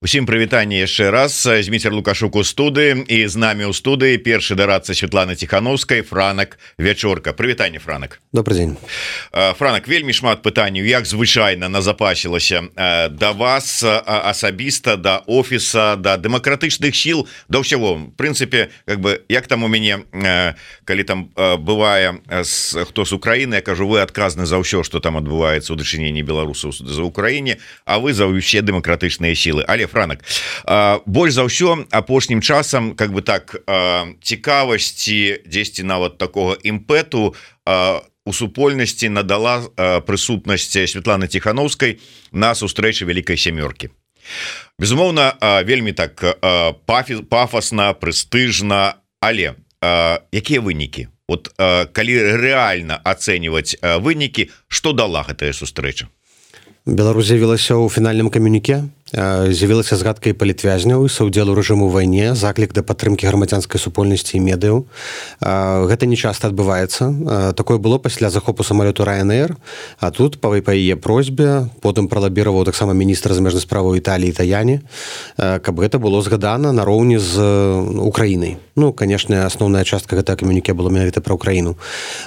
Усім прывітанне яшчэ раз. Зміцер Лукашук у студыі, і з намі ў студыі першы дарадца Светланы Ціхановскай Франак Вячорка. Прывітанне, Франак. Добрый дзень. Франак, вельмі шмат пытанняў, як звычайна назапасілася да вас асабіста, да офіса, да дэмакратычных сіл, да ўсяго. В прынцыпе, як там у мяне, калі там бывае хто з Украіны, я кажу, вы адказны за ўсё, што там адбываецца ў дачыненні беларусаў за Украіне, а вы за ўсе дэмакратычныя сілы. Але Франак, больш за ўсё апошнім часам цікавасці, дзесьці нават такога імпэту у супольнасці надала прысутнасць Светланы Ціхановскай на сустрэчы Вялікай сямёркі. Безумоўна, вельмі так пафасна, прэстыжна, але якія вынікі? Вот калі рэальна ацэньваць вынікі, што дала гэтая сустрэча? Беларусь з'явілася ў фінальным камюніке, з'явілася згадка і палітвязняў, і саўдзелу рэжыму ў вайне, заклік да падтрымкі грамадзянскай супольнасці і медыяў. Гэта не часта адбываецца. Такое было пасля захопу самалёту Ryanair, а тут па яе просьбе потым пралабіраваў таксама міністр замежных справаў Італіі Таяні, каб гэта было згадана нароўні з Украінай. Ну, канешне, асноўная частка гэтага камюніке была менавіта пра Украіну.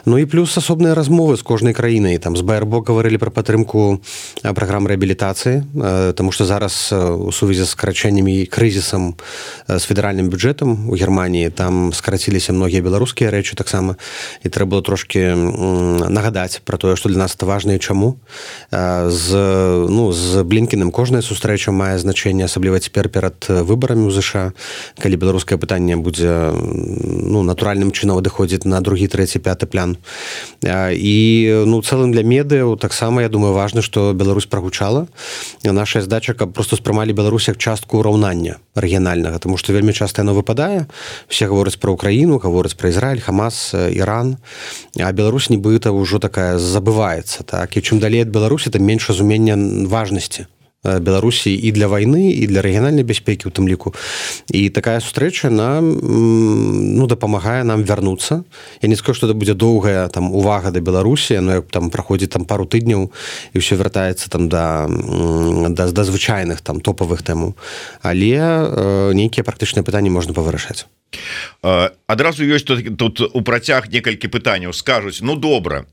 Ну і плюс асобныя размовы з кожнай краінай. Там з БРБО гаварылі пра падтрымку праграм рэабілітацыі, таму што зараз у сувязі з скарачэннямі і крызісам з федэральным бюджэтам у Германіі там скараціліся многія беларускія рэчы таксама, і трэба было трошки нагадаць пра тое, што для нас это важна і чаму. З Блінкеным кожная сустрэча мае значэнне, асабліва цяпер перад выбарамі ў ЗША, калі беларускае пытанне будзе натуральным чынам адыходзіць на другі, трэці, пяты план. І цэлым для медыяў таксама, я думаю, важна, што Беларусь прагучала. Наша задача, каб просто спрымалі Беларусь як частку ўраўнання рэгіянальнага, тому што вельмі часта яно выпадае. Все гавораць пра Украіну, гавораць пра Ізраіль, Хамас, Іран, а Беларусь нібыта ўжо такая забываецца. Так? І чым далей ад Беларусі, тым менш разумення важнасці Беларусі і для вайны, і для рэгіянальнай бяспекі ў тым ліку. І такая сустрэча нам дапамагае нам вярнуцца. Я не скажу, што это будзе доўгая там увага да Беларусі, но там праходзіць там пару тыдняў і ўсё вяртаецца там да звычайных там топавых тэмаў. Але нейкія практычныя пытанні можна павырашаць. Адразу ёсць тут у працяг некалькі пытанняў. Скажуць, добра,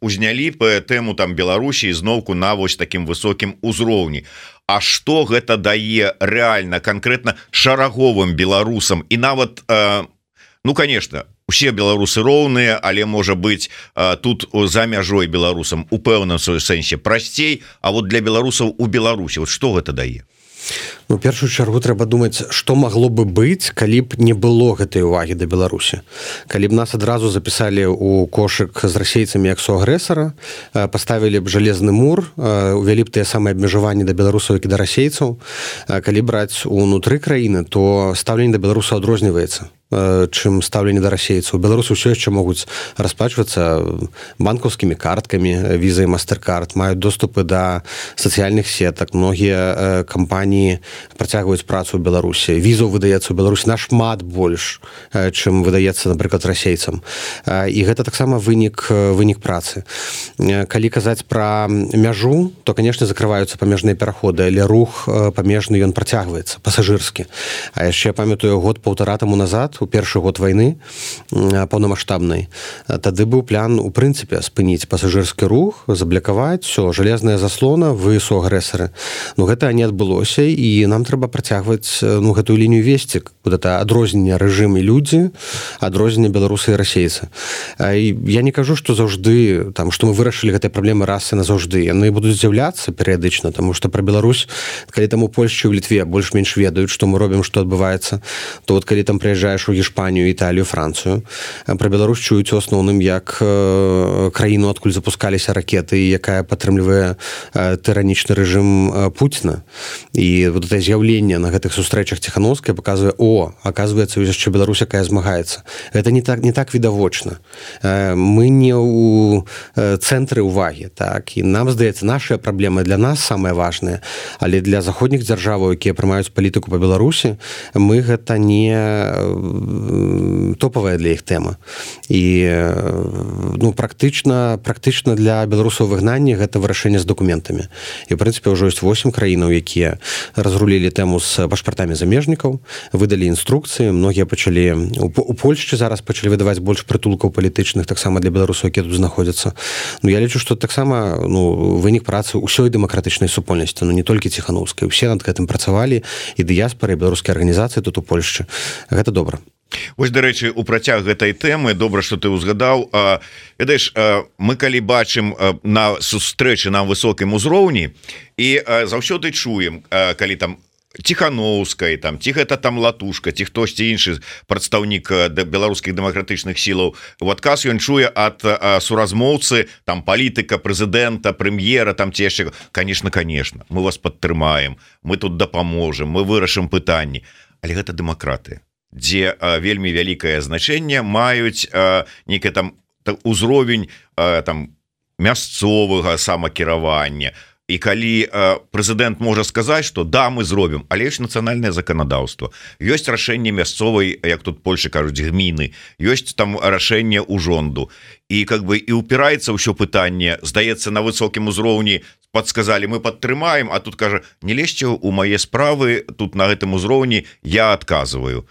узнялі тэму там Беларусі зноўку на вось такім высокім узроўні. А што гэта дае рэальна, канкрэтна шараговым беларусам? І нават, конечно, усе беларусы роўныя, але можа быць тут за мяжой беларусам у пэўным сэнсе прасцей, а вот для беларусаў у Беларусі вот што гэта дае? У першую чаргу трэба думаць, што магло бы быць, калі б не было гэтай увагі да Беларусі. Калі б нас адразу запісалі ў кошык з расейцамі як суагрэсара, паставілі б жалезны мур, увялі б тыя самыя абмежаванні да беларусаў, як і да расейцаў. Калі браць унутры краіны, то стаўленне да беларусаў адрозніваецца, чым стаўленне да расейцаў. Беларусы ўсё яшчэ могуць расплачвацца банкаўскімі карткамі, віза і мастеркард, маюць доступы да сацыяльных сетак, многія кампаніі працягваюць працу ў Беларусі. Візаў выдаецца ў Беларусі нашмат больш, чым выдаецца, напрыклад, расейцам. І гэта таксама вынік працы. Калі казаць пра мяжу, то, канешне, закрываюцца памежныя пераходы, але рух памежны ён працягваецца, пасажырскі. А яшчэ я памятаю год-паўтара таму назад, у першы год вайны паўнамаштабнай, тады быў план, у прынцыпе, спыніць пасажырскі рух, заблакаваць, все, жалезная заслона, вы суагрэсары. Гэта не адбылося, і нам трэба працягваць гэтую лінію весці, это адрозненне рэжым і людзі, адрозненне беларусы і расейцы. Я не кажу, што заўжды, што мы вырашылі гэтай праблемы раз і назаўжды. Яны будуць з'яўляцца перыядычна, таму што пра Беларусь, калі там у Польшчы, у Літве больш-менш ведаюць, што мы робім, што адбываецца, то калі там прыязджаеш у Іспанію, Італію, Францыю, пра Беларусь чуюць у асноўным як краіну, адкуль запускаліся ракеты, якая падтрымлівае тыранічны рэжым Пуціна. І вот это з'яўленне на гэтых сустрэчах Ціхановскай паказвае, оказывается, яшчэ Беларусь, якая змагаецца. Гэта не так відавочна. Мы не ў цэнтры ўвагі, так, і нам здаецца, нашыя праблемы для нас самыя важныя, але для заходніх дзяржаваў, якія прымаюць палітыку па Беларусі, мы гэта не топавая для іх тэма. І ну, практычна для беларусаў выгнання гэта вырашэнне з дакументамі. І, в прынцыпе, ўжо ёсць 8 краінаў, якія разрулілі тэму з пашпартамі замежнікаў, выдалі інструкцыі, многія пачалі... У Польшчы зараз пачалі выдаваць больш прытулкаў палітычных, таксама для беларусаў, якія тут знаходзяцца. Ну, я лічу, што таксама вынік працы ўсёй дэмакратычнай супольнасці, не толькі Ціханаўскай. Усе над гэтым працавалі, і дыяспары, і беларускія арганізацыі тут у Польшчы. Гэта добра. Вось, дарэчы, у працяг гэтай тэмы добра, што ты ўзгадаў. Ведаеш, мы калі бачым на сустрэчы на высокім узроўні і заўсёды чуем, калі там Ціханаўскай, там, ці гэта там Латушка, ці хтосьці іншы прадстаўнік беларускіх дэмакратычных сілаў. У адказ ён чуе ад суразмоўцы, там, палітыка, прэзідэнта, прэм'ера, там, ці яшчэ, конечно, мы вас падтрымаем, мы тут дапаможам, мы вырашым пытанні. Але гэта дэмакратыя, дзе вельмі вялікае значэнне маюць нейкі там узровень там мясцовага самакіравання. І калі прэзідэнт можа сказаць, што да, мы зробім, але ёсць нацыянальнае заканадаўства, ёсць рашэнне мясцовай, як тут Польшы кажуць, гміны, ёсць там рашэнне ўжонду. І как бы і ўпіраецца ўсё пытанне, здаецца, на высокім узроўні падсказалі, мы падтрымаем, а тут кажа, не лезьце ў мае справы, тут на гэтым узроўні я адказваю.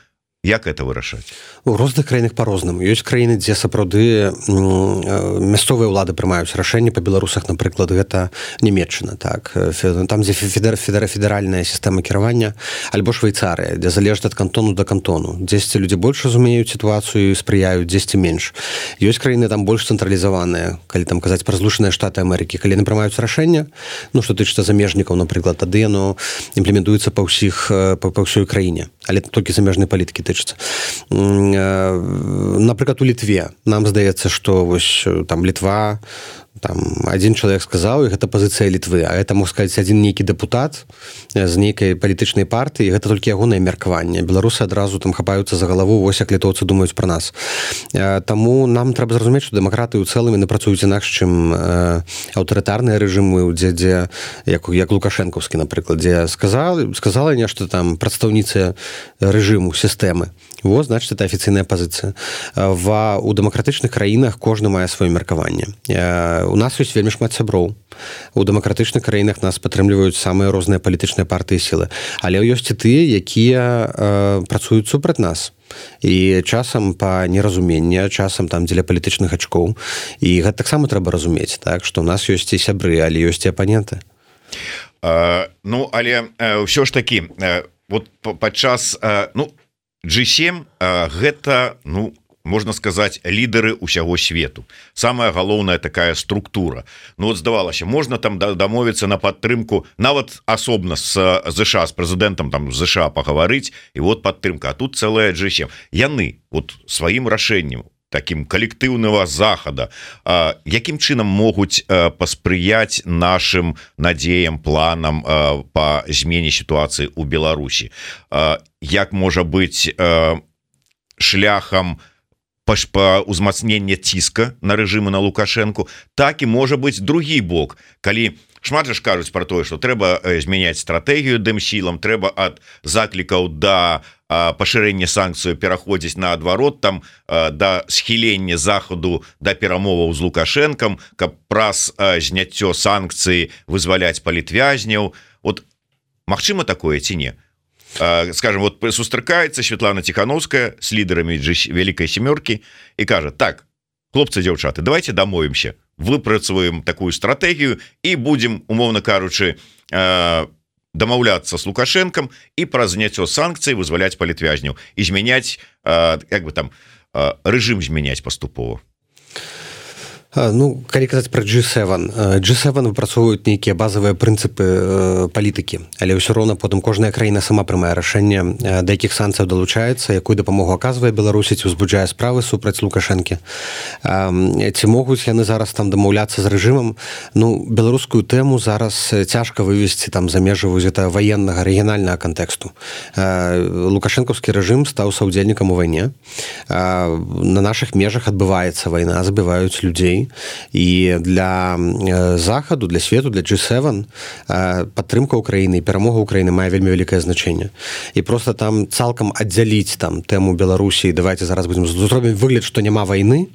Як это вырашаць? У розных краінах па-рознаму. Ёсць краіны, дзе сапраўды мясцовыя ўлады прымаюць рашэнні. Па беларусах, напрыклад, гэта Нямецчына, так. Там, дзе федэральная сістэма кіравання, альбо Швейцарыя, дзе залежыць ад кантону да кантону. Дзесьці людзі больш разумеюць сітуацыю і спрыяюць, дзесьці менш. Ёсць краіны там больш цэнтралізаваныя, калі там казаць пра Злучаныя Штаты Амерыкі. Калі яны прымаюць рашэнне, ну, што тычыцца замежнікаў, напрыклад, тады яно імплементуецца па ўсёй краіне. Але толькі замежнай палітыкі тычыцца. Напрыклад, у Літве нам здаецца, што вось там Літва, там адзін чалавек сказаў, і гэта пазіцыя Літвы, а гэта, мог сказаць, адзін нейкі дэпутат з нейкай палітычнай партыі, і гэта толькі ягонае меркаванне. Беларусы адразу там хапаюцца за галаву, вось як літоўцы думаюць пра нас. Таму нам трэба зразумець, што дэмакраты ў цэлым яны працуюць інакш, чым аўтарытарныя рэжымы, дзе як лукашэнкаўскі, напрыклад, дзе сказала нешта там прадстаўніца рэжыму, сістэмы. Вот, значит, это афіцыйная пазіцыя. У дэмакратычных краінах кожны мае сваё меркаванне. У нас ёсць вельмі шмат сяброў. У дэмакратычных краінах нас падтрымліваюць самыя розныя палітычныя партыі і сілы. Але ёсць і тыя, якія працуюць супраць нас. І часам па неразуменні, часам там дзеля палітычных ачкоў. І гэта таксама трэба разумець, так, што ў нас ёсць і сябры, але ёсць і апаненты. Ну, але ўсё ж такі, вот падчас, ну, G7 гэта, ну, можна сказаць, лідары ўсяго свету. Самая галоўная такая структура. Ну, вот здавалася, можна там дамовіцца на падтрымку, нават асобна з ЗША, з прэзідэнтам там ЗША пагаварыць, і вот падтрымка. А тут цэлая G7. Яны вот сваім рашэннем, таким калектыўнага захада, якім чынам могуць паспрыяць нашим надзеям, планам па змене сітуацыі ў Беларусі? Як можа быць шляхам па ўзмацнення ціска на рэжымы на Лукашэнку, так і можа быць другі бок, калі шмат ж кажуць пра тое, што трэба змяняць стратэгію дэмсілам, трэба ад заклікаў да пашырэння санкцыю пераходзіць наадварот, там да схілення захаду да перамоваў з Лукашэнкам, каб праз зняццё санкцыі вызваляць палітвязняў. Вот магчыма такое ці не? Скажем, вот сустракаецца Светлана Ціханаўская з лідарамі Вялікай сямёркі і кажа: так, хлопцы, дзяўчаты, давайте дамовімся, выпрацуем такую стратэгію і будзем, умоўна кажучы, дамаўляцца з Лукашэнкам і праз зняццё санкцый вызваляць палітвязняў і змяняць, як бы там, рэжым змяняць паступова. Ну, калі казаць пра G7 выпрацоўваюць нейкія базавыя прынцыпы палітыкі, але ўсё роўна потым кожная краіна сама прымае рашэнне, да якіх санкцыяў далучаецца, якую дапамогу аказвае Беларусі, ці ўзбуджае справы супраць Лукашэнкі. Ці могуць яны зараз там дамаўляцца з рэжымам? Ну, беларускую тэму зараз цяжка вывесці там за межы гэта ваеннага рэгіянальнага кантэксту. Лукашэнкаўскі рэжым стаў саўдзельнікам у вайне. На нашых межах адбываецца вайна, забіваюць людзей. вайны, і для захаду, для свету, для G7 падтрымка Украіны і перамога Украіны мае вельмі вялікае значэнне. І просто там цалкам аддзяліць там тэму Беларусі, давайте зараз будзем зробім выгляд, што няма вайны,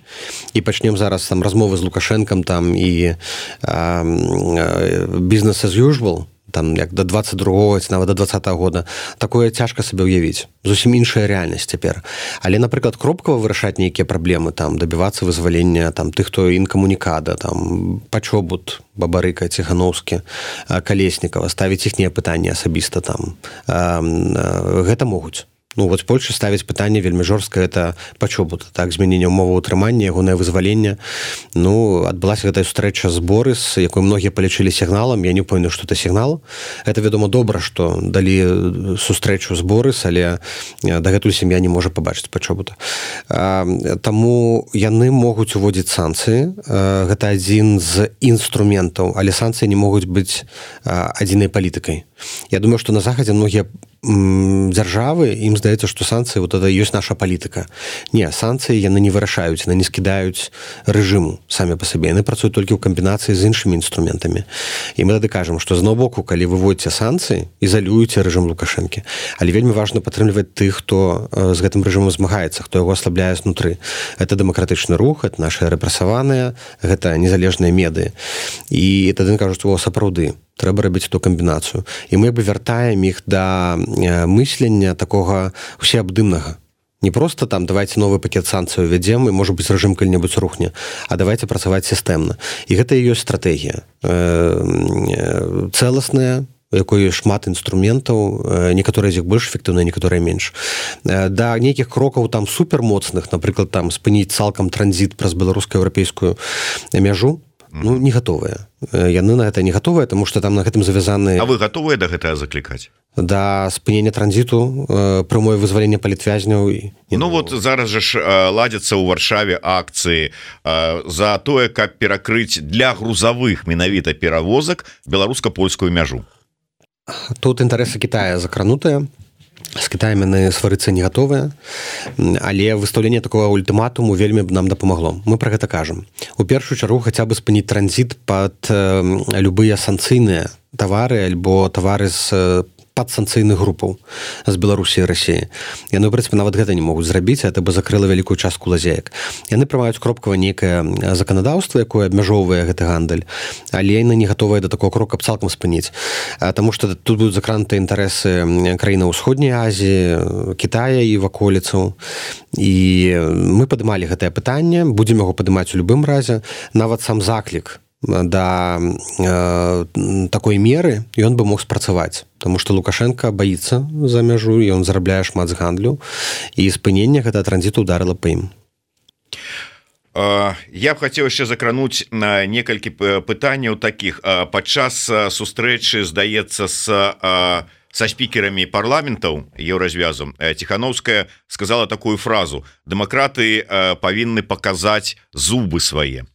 і пачнем зараз там размовы з Лукашэнкам там і business as usual, там як до 22-го ці нават до 20-го года, такое цяжка сабе ўявіць. Зусім іншая рэальнасць цяпер. Але, напрыклад, кропкава вырашаць нейкія праблемы, там дабівацца вызвалення там тых, хто інкамунікада, там Пачобут, Бабарыка, Ціхановскі, Калеснікава, ставіць іхнія пытанні асабіста там. Гэта могуць. Ну, вот Польша ставіць пытанне вельмі жорстка, это Пачобут, так, змяненне ўмоваў утрымання, ягонае вызваленне. Ну, адбылася гэтая сустрэча з Борыс, якую многія палічылі сігналам, я не памятаю, што это сігнал. Это, вядома, добра, што далі сустрэчу з Борыс, але дагэтуль сям'я не можа пабачыць Пачобута. Таму яны могуць уводзіць санкцыі. Гэта адзін з інструментаў, але санкцыі не могуць быць адзінай палітыкай. Я думаю, што на Захадзе многія дзяржавы, ім здаецца, што санкцыі вот это ёсць наша палітыка. Не, санкцыі яны не вырашаюць, яны не скідаюць рэжыму самі па сабе. Яны працуюць толькі ў камбінацыі з іншымі інструментамі. І мы тады кажам, што з аднаго боку, калі вы вводзіце санкцыі, ізалюеце рэжым Лукашэнкі. Але вельмі важна падтрымліваць тых, хто з гэтым рэжымам змагаецца, хто яго аслабляе знутры. Гэта дэмакратычны рух, гэта нашыя рэпрэсаваныя, гэта незалежныя медыі. І тады кажуць, о, сапраўды, трэба рабіць эту камбінацыю. І мы бы вяртаем іх да мыслення такога усеабдымнага. Не просто там давайте новы пакет санкцыяў ввядзем, і, можа быць, рэжым калі-небудзь рухне, а давайте працаваць сістэмна. І гэта і ёсць стратэгія. Цэласная, у якой шмат інструментаў, некаторыя з іх больш эфектыўныя, некаторыя менш. Да нейкіх крокаў там супермоцных, напрыклад, там спыніць цалкам транзіт праз беларуска-еўрапейскую мяжу, ну, не гатовыя. Яны на гэта не гатовыя, таму што там на гэтым завязаны... А вы гатовыя да гэтага заклікаць? Да спынення транзіту, прямое вызвалення палітвязняў. Ну вот зараз жа ж ладзяцца ў Варшаве акцыі за тое, каб перакрыць для грузавых менавіта перавозак беларуска-польскую мяжу. Тут інтарэсы Китая закранутыя. З Кітаем яны сварыцца не гатовыя, але выстаўленне такого ультыматуму вельмі нам дапамагло. Мы пра гэта кажам. У першую чаргу хаця бы спыніць транзіт пад любыя санкцыйныя тавары альбо тавары з падсанкцыйных групаў з Беларусі і Расіі. Яны, ў прынцыпе, нават гэта не могуць зрабіць, гэта бы закрыла вялікую частку лазеек. Яны прымаюць кропкава нейкае заканадаўства, якое абмяжоўвае гэты гандаль, але яны не гатовыя да такого крока цалкам спыніць. Таму што тут будуць закрануты інтарэсы краінаў Усходняй Азіі, Кітая і ваколіцаў. І мы падымалі гэтае пытанне, будзем яго падымаць у любым разе. Нават сам заклік да такой меры ён бы мог спрацаваць, тому што Лукашенко баіцца за мяжу, і ён зарабляе шмат з гандлю, і спынення гэта транзіту ударыла па ім. Я б хацеў яшчэ закрануць на некалькі пытанняў такіх. Падчас сустрэчы, здаецца, са спікерамі парламентаў еўразвязу Ціхановская сказала такую фразу: дэмакраты павінны паказаць зубы свае.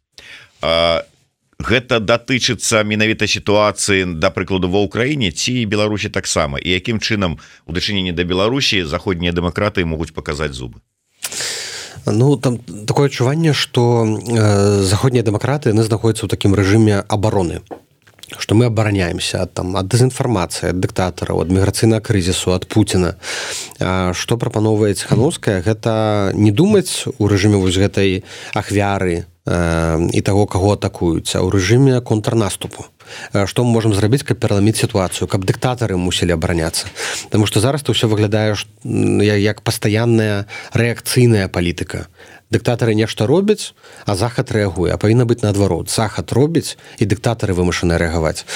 Гэта датычыцца менавіта сітуацыі, да прыкладу, ва Ўкраіне ці Беларусі таксама, і якім чынам у дачыненні да Беларусі заходнія дэмакраты могуць паказаць зубы? Ну, там такое адчуванне, што заходнія дэмакраты, яны знаходзяцца ў такім рэжыме абароны, што мы абараняемся ад дэзінфармацыі, ад дыктатараў, ад міграцыйнага крызісу, ад Пуціна. Што прапановвае Ціхановская, гэта не думаць у рэжыме вось гэтай ахвяры і таго, каго атакуюць, а ў рэжыме контрнаступу. Што мы можам зрабіць, каб пераламіць сітуацыю, каб дыктатары мусілі абараняцца. Таму што зараз то ўсё выглядае як пастаянная рэакцыйная палітыка. Дыктатары нешта робяць, а захад рэагуе, а павінна быць наадварот. Захад робіць, і дыктатары вымушаны рэагаваць.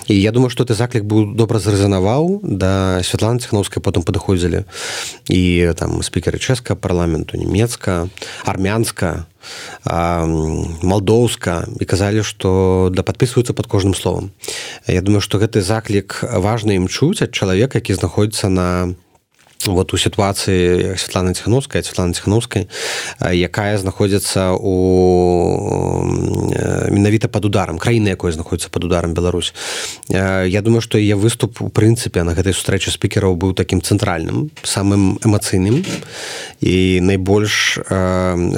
І я думаю, што ты заклік быў добра зрэзанаваў, да Святланы Ціхановскай потым падыходзілі і там спікеры чэшскага парламенту, нямецка, армянска, малдоўска, і казалі, што да падпісваюцца пад кожным словам. Я думаю, што гэты заклік важна ім чуць ад чалавека, які знаходзіцца на вот у сітуацыі Святланы Ціхановскай, якая знаходзіцца у менавіта пад ударам краіны, якой знаходзіцца пад ударам Беларусь. Я думаю, што яе выступ у прынцыпе на гэтай сустрэчы спікераў быў такім цэнтральным, самым эмацыйным і найбольш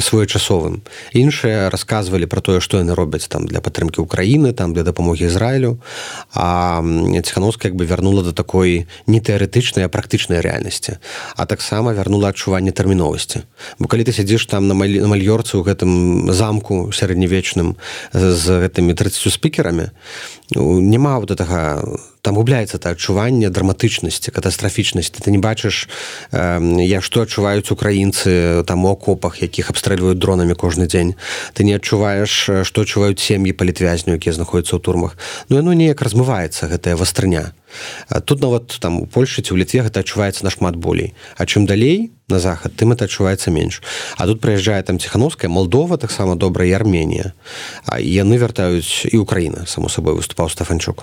своечасовым. Іншыя расказвалі пра тое, што яны робяць там для падтрымкі Украіны, там для дапамогі Ізраілю, а Ціхановская як бы вярнула да такой не тэарэтычнай, а практычнай рэальнасці. А таксама вярнула адчуванне тэрміновасці. Бо калі ты сядзіш там на Мальёрцы ў гэтым замку сярэднявечным з гэтымі 30 спікерамі, няма вот гэтага, там губляецца это адчуванне драматычнасці, катастрафічнасці. Ты не бачыш, што адчуваюць украінцы там у акопах, якіх абстрэльваюць дронамі кожны дзень. Ты не адчуваеш, што адчуваюць сем'і палітвязняў, якія знаходзяцца ў турмах. Ну, яно неяк размываецца, гэтая вастрыня. Тут нават там у Польшчы ці ў Літве гэта адчуваецца нашмат болей. А чым далей на захад, тым это адчуваецца менш. А тут прыязджае там Ціхановская, Малдова таксама добра, і Арменія. І яны вяртаюць, і Украіна, само сабой, выступаў Стафанчук.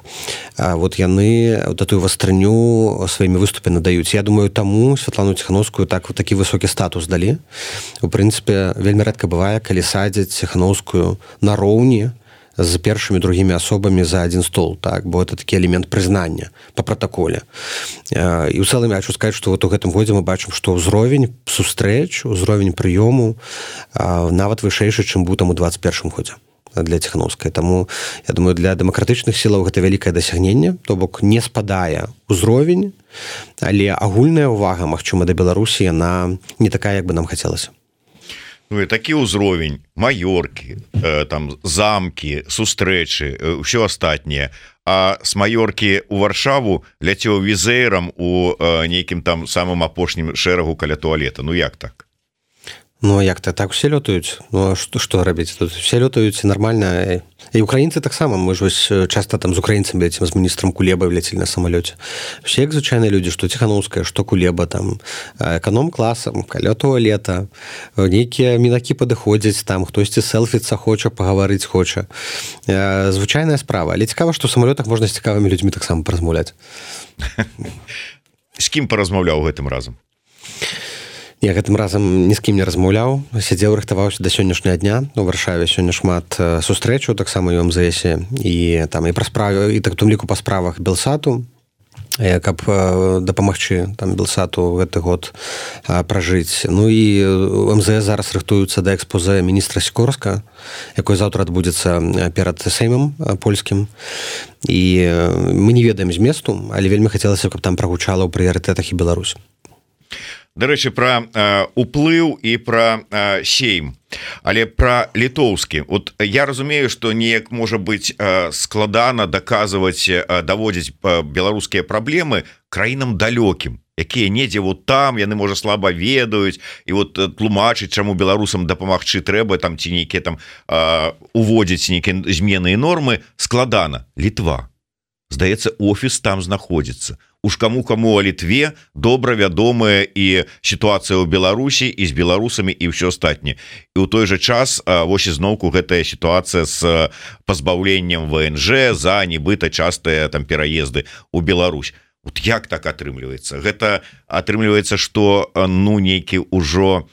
Вот яны тую вастрыню сваімі выступамі надаюць. Я думаю, таму Святлану Ціхановскую такі высокі статус далі. У прынцыпе, вельмі рэдка бывае, калі садзяць Ціхановскую нароўні з першымі, другімі асобамі за адзін стол, так, бо это такі элемент прызнання па пратаколе. І ў цэлым я хочу сказаць, што вот у гэтым годзе мы бачым, што ўзровень сустрэч, узровень прыёму нават вышэйшы, чым быў там у 21 годзе для Ціхановскай. Таму, я думаю, для дэмакратычных сілаў гэта вялікае дасягненне, то бок не спадае ўзровень, але агульная ўвага, магчыма, да Беларусі, яна не такая, як бы нам хацелася. Ну і такі ўзровень, Маёркі, там замкі, сустрэчы, ўсё астатняе. А з Маёркі ў Варшаву ляцеў візэйрам у нейкім там самым апошнім шэрагу каля туалета. Ну як так? Ну, як-то так усе лётаюць. Ну, што рабіць? Тут усе лётаюць нармальна. І украінцы таксама. Мы ж вось часта там з украінцамі лецім, з міністрам Кулебай ляцелі на самалёце. Усе як звычайныя людзі, што Ціхановская, што Кулеба, там, эканом-класам, каля туалета, нейкія мінакі падыходзяць, там, хтосьці селфіцца хоча, пагаварыць хоча. Звычайная справа. Але цікава, што ў самалётах можна з цікавымі людзьмі таксама паразмаўляць. З кім паразмаўляў гэтым разам? Я гэтым разам ні з кім не размаўляў, сядзеў, рыхтаваўся да сённяшняга дня. У Варшаве сёння шмат сустрэчаў, таксама і ў МЗС, і там і пра справы, і так у тым ліку па справах Белсату, каб дапамагчы там Белсату гэты год пражыць. Ну і МЗС зараз рыхтуюцца да экспозе міністра Сікорска, якой заўтра адбудзецца перад Сеймам польскім. І мы не ведаем зместу, але вельмі хацелася, каб там прагучала ў прыярытэтах і Беларусь. Дарэчы, пра уплыў і пра сейм, але пра літоўскі. Вот я разумею, што неяк можа быць складана даказваць, даводзіць беларускія праблемы краінам далёкім, якія недзе вот там, яны, можа, слаба ведаюць, і вот тлумачыць, чаму беларусам дапамагчы трэба, там ці нейкія там уводзіць нейкія змены і нормы, складана. Літва. Здаецца, офіс там знаходзіцца. Уж каму-каму о Літве добра вядомая і сітуацыя ў Беларусі, і з беларусамі, і ўсё астатняе. І ў той жа час вось ізноўку гэтая сітуацыя з пазбаўленнем ВНЖ за нібыта частыя там пераезды ў Беларусь. Вот як так атрымліваецца? Гэта атрымліваецца, што ну нейкі ўжо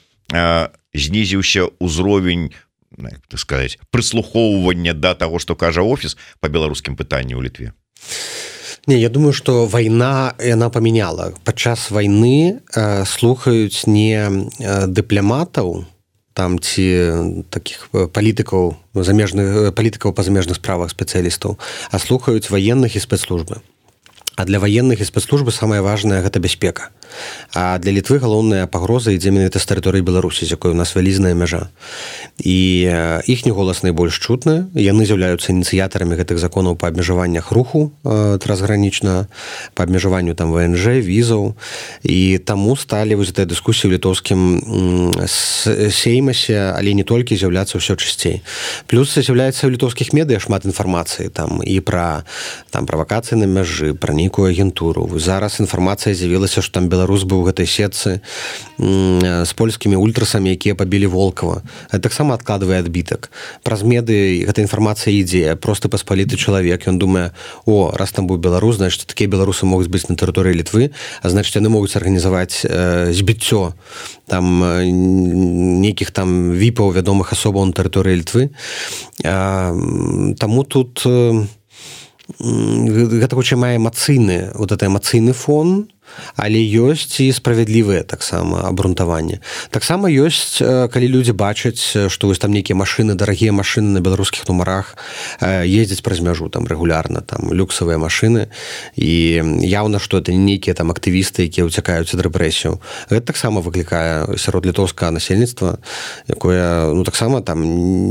знізіўся ўзровень, так сказаць, прыслухоўвання да таго, што кажа офіс па беларускім пытанні ў Літве. Не, я думаю, што вайна, яна памяняла. Падчас вайны слухаюць не дыпламатаў, там ці такіх палітыкаў, замежных палітыкаў па замежных справах спецыялістаў, а слухаюць ваенных і спецслужбы. А для ваенных і спецслужбы самае важнае гэта бяспека. А для Літвы галоўная пагроза ідзе менавіта з тэрыторыі Беларусі, з якой у нас вялізная мяжа. І іхні голас найбольш чутны. Яны з'яўляюцца ініцыятарамі гэтых законаў па абмежаваннях руху трансгранічна, па абмежаванню там ВНЖ, візаў. І таму сталі вось гэтыя дыскусіі ў літоўскім сеймасе, але не толькі, з'яўляцца ўсё часцей. Плюс з'яўляецца ў літоўскіх медыа шмат інфармацыі там і пра там правакацыі на мяжы, пра нейкую агентуру. Зараз інфармацыя з'явілася, што там беларус быў у гэтай сетцы з польскімі ультрасамі, якія пабілі Волкова. Гэта таксама адкладвае адбітак. Праз меды гэта інфармацыя ідзе. Просты паспаліты чалавек, ён думае, раз там быў беларус, значыць, такія беларусы могуць быць на тэрыторыі Літвы, а значыць, яны могуць арганізаваць збіццё там нейкіх там віпаў, вядомых асобаў на тэрыторыі Літвы. Таму тут гэта хутчэй мае эмацыйны, эмацыйны фон, але ёсць і справядлівыя таксама абрунтаванне. Таксама ёсць, калі людзі бачаць, што вось там нейкія машыны, дарагія машыны на беларускіх нумарах ездзяць праз мяжу там рэгулярна, там люксавыя машыны, і яўна, што это не нейкія там актывісты, якія ўцякаюць ад рэпрэсіяў. Гэта таксама выклікае сярод літоўскага насельніцтва, якое таксама там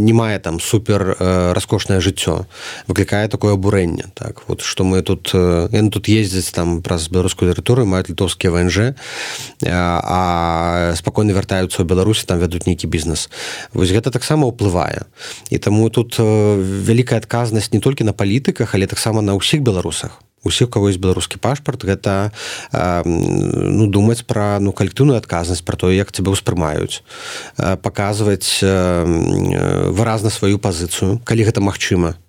не мае там супер раскошнае жыццё, выклікае такое абурэнне, так вот, што мы тут яны тут ездзяць там праз беларускую тэрыторыю, маюць літоўскія ВНЖ, а спакойна вяртаюцца ў Беларусі, там вядуць нейкі бізнес. Вось гэта таксама ўплывае. І таму тут вялікая адказнасць не толькі на палітыках, але таксама на ўсіх беларусах. Усіх, у каго ёсць беларускі пашпарт, гэта думаць пра калектыўную адказнасць, пра тое, як цябе ўспрымаюць, паказваць выразна сваю пазіцыю, калі гэта магчыма,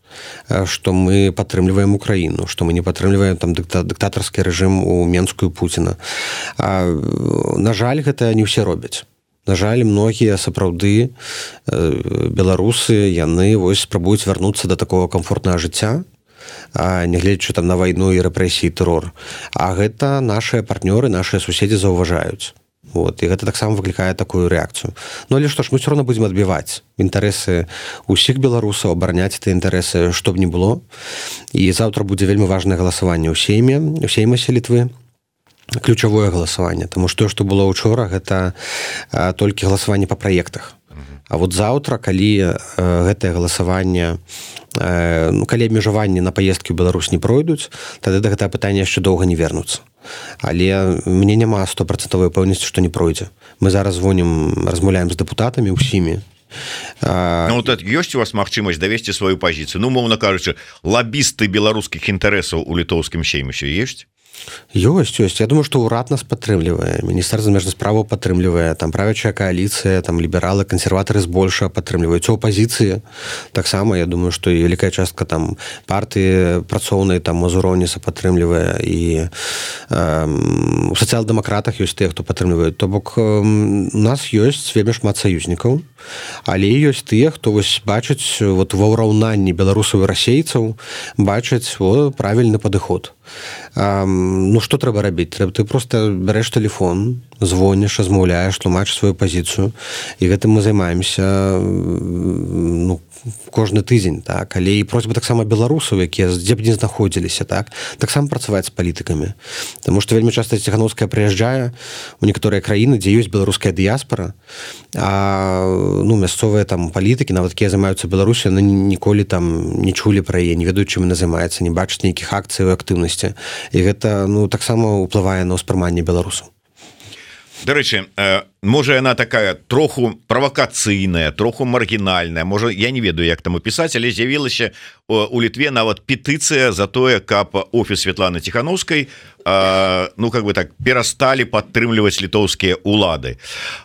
што мы падтрымліваем Украіну, што мы не падтрымліваем там дыктатарскі рэжым у Менску і Пуціна. На жаль, гэта не ўсе робяць. На жаль, многія сапраўды беларусы, яны вось спрабуюць вярнуцца да такого камфортнага жыцця, нягледзячы там на вайну і рэпрэсіі, тэрор. А гэта нашыя партнёры, нашыя суседзі заўважаюць. Вот, і гэта таксама выклікае такую рэакцыю. Але што ж, мы ўсё роўна будзем адбіваць інтарэсы ўсіх беларусаў, абараняць тыя інтарэсы, што б ні было. І заўтра будзе вельмі важнае галасаванне ў сеймасе Літвы. Ключавое галасаванне, таму што што было ўчора, гэта толькі галасаванне па праектах. А вот заўтра, калі гэтае галасаванне, калі абмежаванні на паездкі ў Беларусь не пройдуць, тады да гэтага пытання яшчэ доўга не вернуцца. Але мне няма 100% пэўнасці, што не пройдзе. Мы зараз размаўляем з дэпутатамі ўсімі. Ёсць у вас магчымасць давесці сваю пазіцыю? Умоўна кажучы, лабісты беларускіх інтарэсаў у літоўскім сеймісе ёсць? Ёсць. Я думаю, што ўрад нас падтрымлівае, міністэрства замежных справаў падтрымлівае, там правячая кааліцыя, там лібералы, кансерватары збольшага падтрымліваюць, у апазіцыі таксама, я думаю, што і вялікая частка там партыі працоўнай там Мазуроніса падтрымлівае, і у сацыял-дэмакратах ёсць тыя, хто падтрымліваюць. То бок у нас ёсць вельмі шмат саюзнікаў, але ёсць тыя, хто вось бачаць вот ва ўраўнанні беларусаў і расейцаў, бачаць правільны падыход. Што трэба рабіць? Ты проста бярэш тэлефон, звоніш, размаўляеш, тлумачыш сваю пазіцыю, і гэтым мы займаемся кожны тыдзень, так? Але і просьба таксама беларусаў, якія дзе б не знаходзіліся, таксама працаваць з палітыкамі. Таму што вельмі часта Ціхановская прыязджае у некаторыя краіны, дзе ёсць беларуская дыяспара, а мясцовыя там палітыкі, нават якія займаюцца Беларусю, яны ніколі там не чулі пра яе, не ведаюць, чым яна займаецца, не бачаць нейкіх акцый і актыўнасці. І гэта таксама ўплывае на ўспрыманне беларусаў. Дарэчы, можа яна такая троху правакацыйная, троху маргінальная, можа, я не ведаю, як там опісаць, але з'явілася у Літве нават петыцыя за тое, каб офіс Святланы Ціхановскай перасталі падтрымліваць літоўскія улады.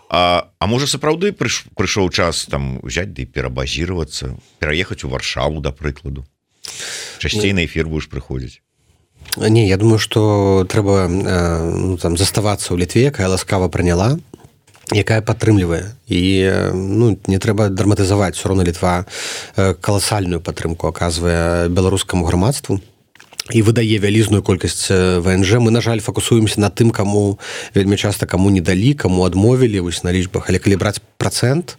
А можа, сапраўды прыйшоў час там взять ды перабазіравацца, пераехаць у Варшаву, да прыкладу. Часцей на эфір будзеш прыходзіць. Не, я думаю, што трэба заставацца ў Літве, якая ласкава прыняла, якая падтрымлівае. І не трэба драматызаваць. Усё роўна Літва каласальную падтрымку аказвае беларускаму грамадству і выдае вялізную колькасць ВНЖ. Мы, на жаль, фокусуемся на тым, каму вельмі часта каму не далі, каму адмовілі вось на лічбах. Але калі браць працэнт,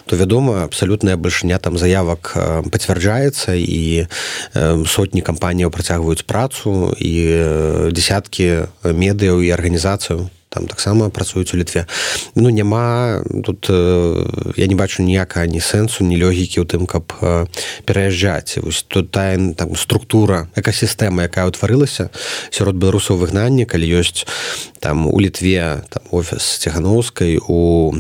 то, вядома, абсалютная бальшыня там заявак пацвярджаецца, і сотні кампаніяў працягваюць працу, і дзесяткі медыяў і арганізацыяў там таксама працуюць у Літве. Няма тут, я не бачу ніякага ні сэнсу, ні логікі ў тым, каб пераязджаць. Вось тут тая там структура, экасістэма, якая ўтварылася сярод беларусаў выгнання, калі ёсць там у Літве там офіс Ціхановскай, у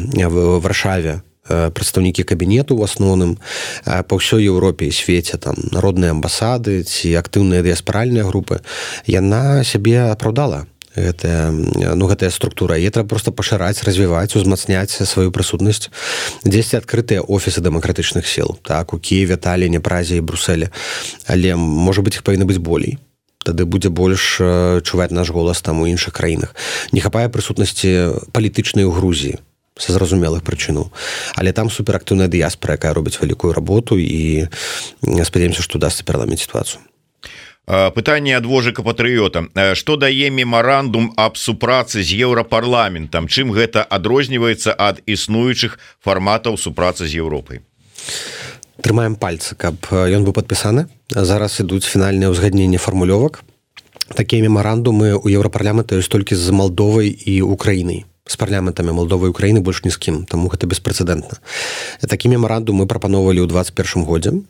Варшаве прадстаўнікі кабінету ў асноўным, па ўсёй Еўропе і свеце там народныя амбасады ці актыўныя дыяспаральныя групы, яна сябе апраўдала. гэтая структура, і трэба просто пашыраць, развіваць, узмацняць сваю прысутнасць. Дзесьці адкрытыя офісы дэмакратычных сіл, так, у Киеве, Талліне, Празе і Брусэле, але можа быць іх павінна быць болей. Тады будзе больш чуваць наш голас там у іншых краінах. Не хапае прысутнасці палітычнай у Грузіі са зразумелых прычынаў, але там суперактыўная дыяспара, якая робіць вялікую работу, і спадзяемся, што удасца пераламіць сітуацыю. Пытанне ад Вожыка Патрыёта. Што дае мемарандум аб супрацы з Еўрапарламентам? Чым гэта адрозніваецца ад існуючых фарматаў супрацы з Еўропай? Трымаем пальцы, каб ён быў падпісаны. Зараз ідуць фінальныя ўзгадненні фармулёвак. Такія мемарандумы ў Еўрапарламента ёсць толькі з Малдовай і Украінай. З парламентамі Малдовы і Украіны больш ні з кім, таму гэта беспрэцэдэнтна. Такі мемарандум мы прапаноўвалі ў 21 годзе.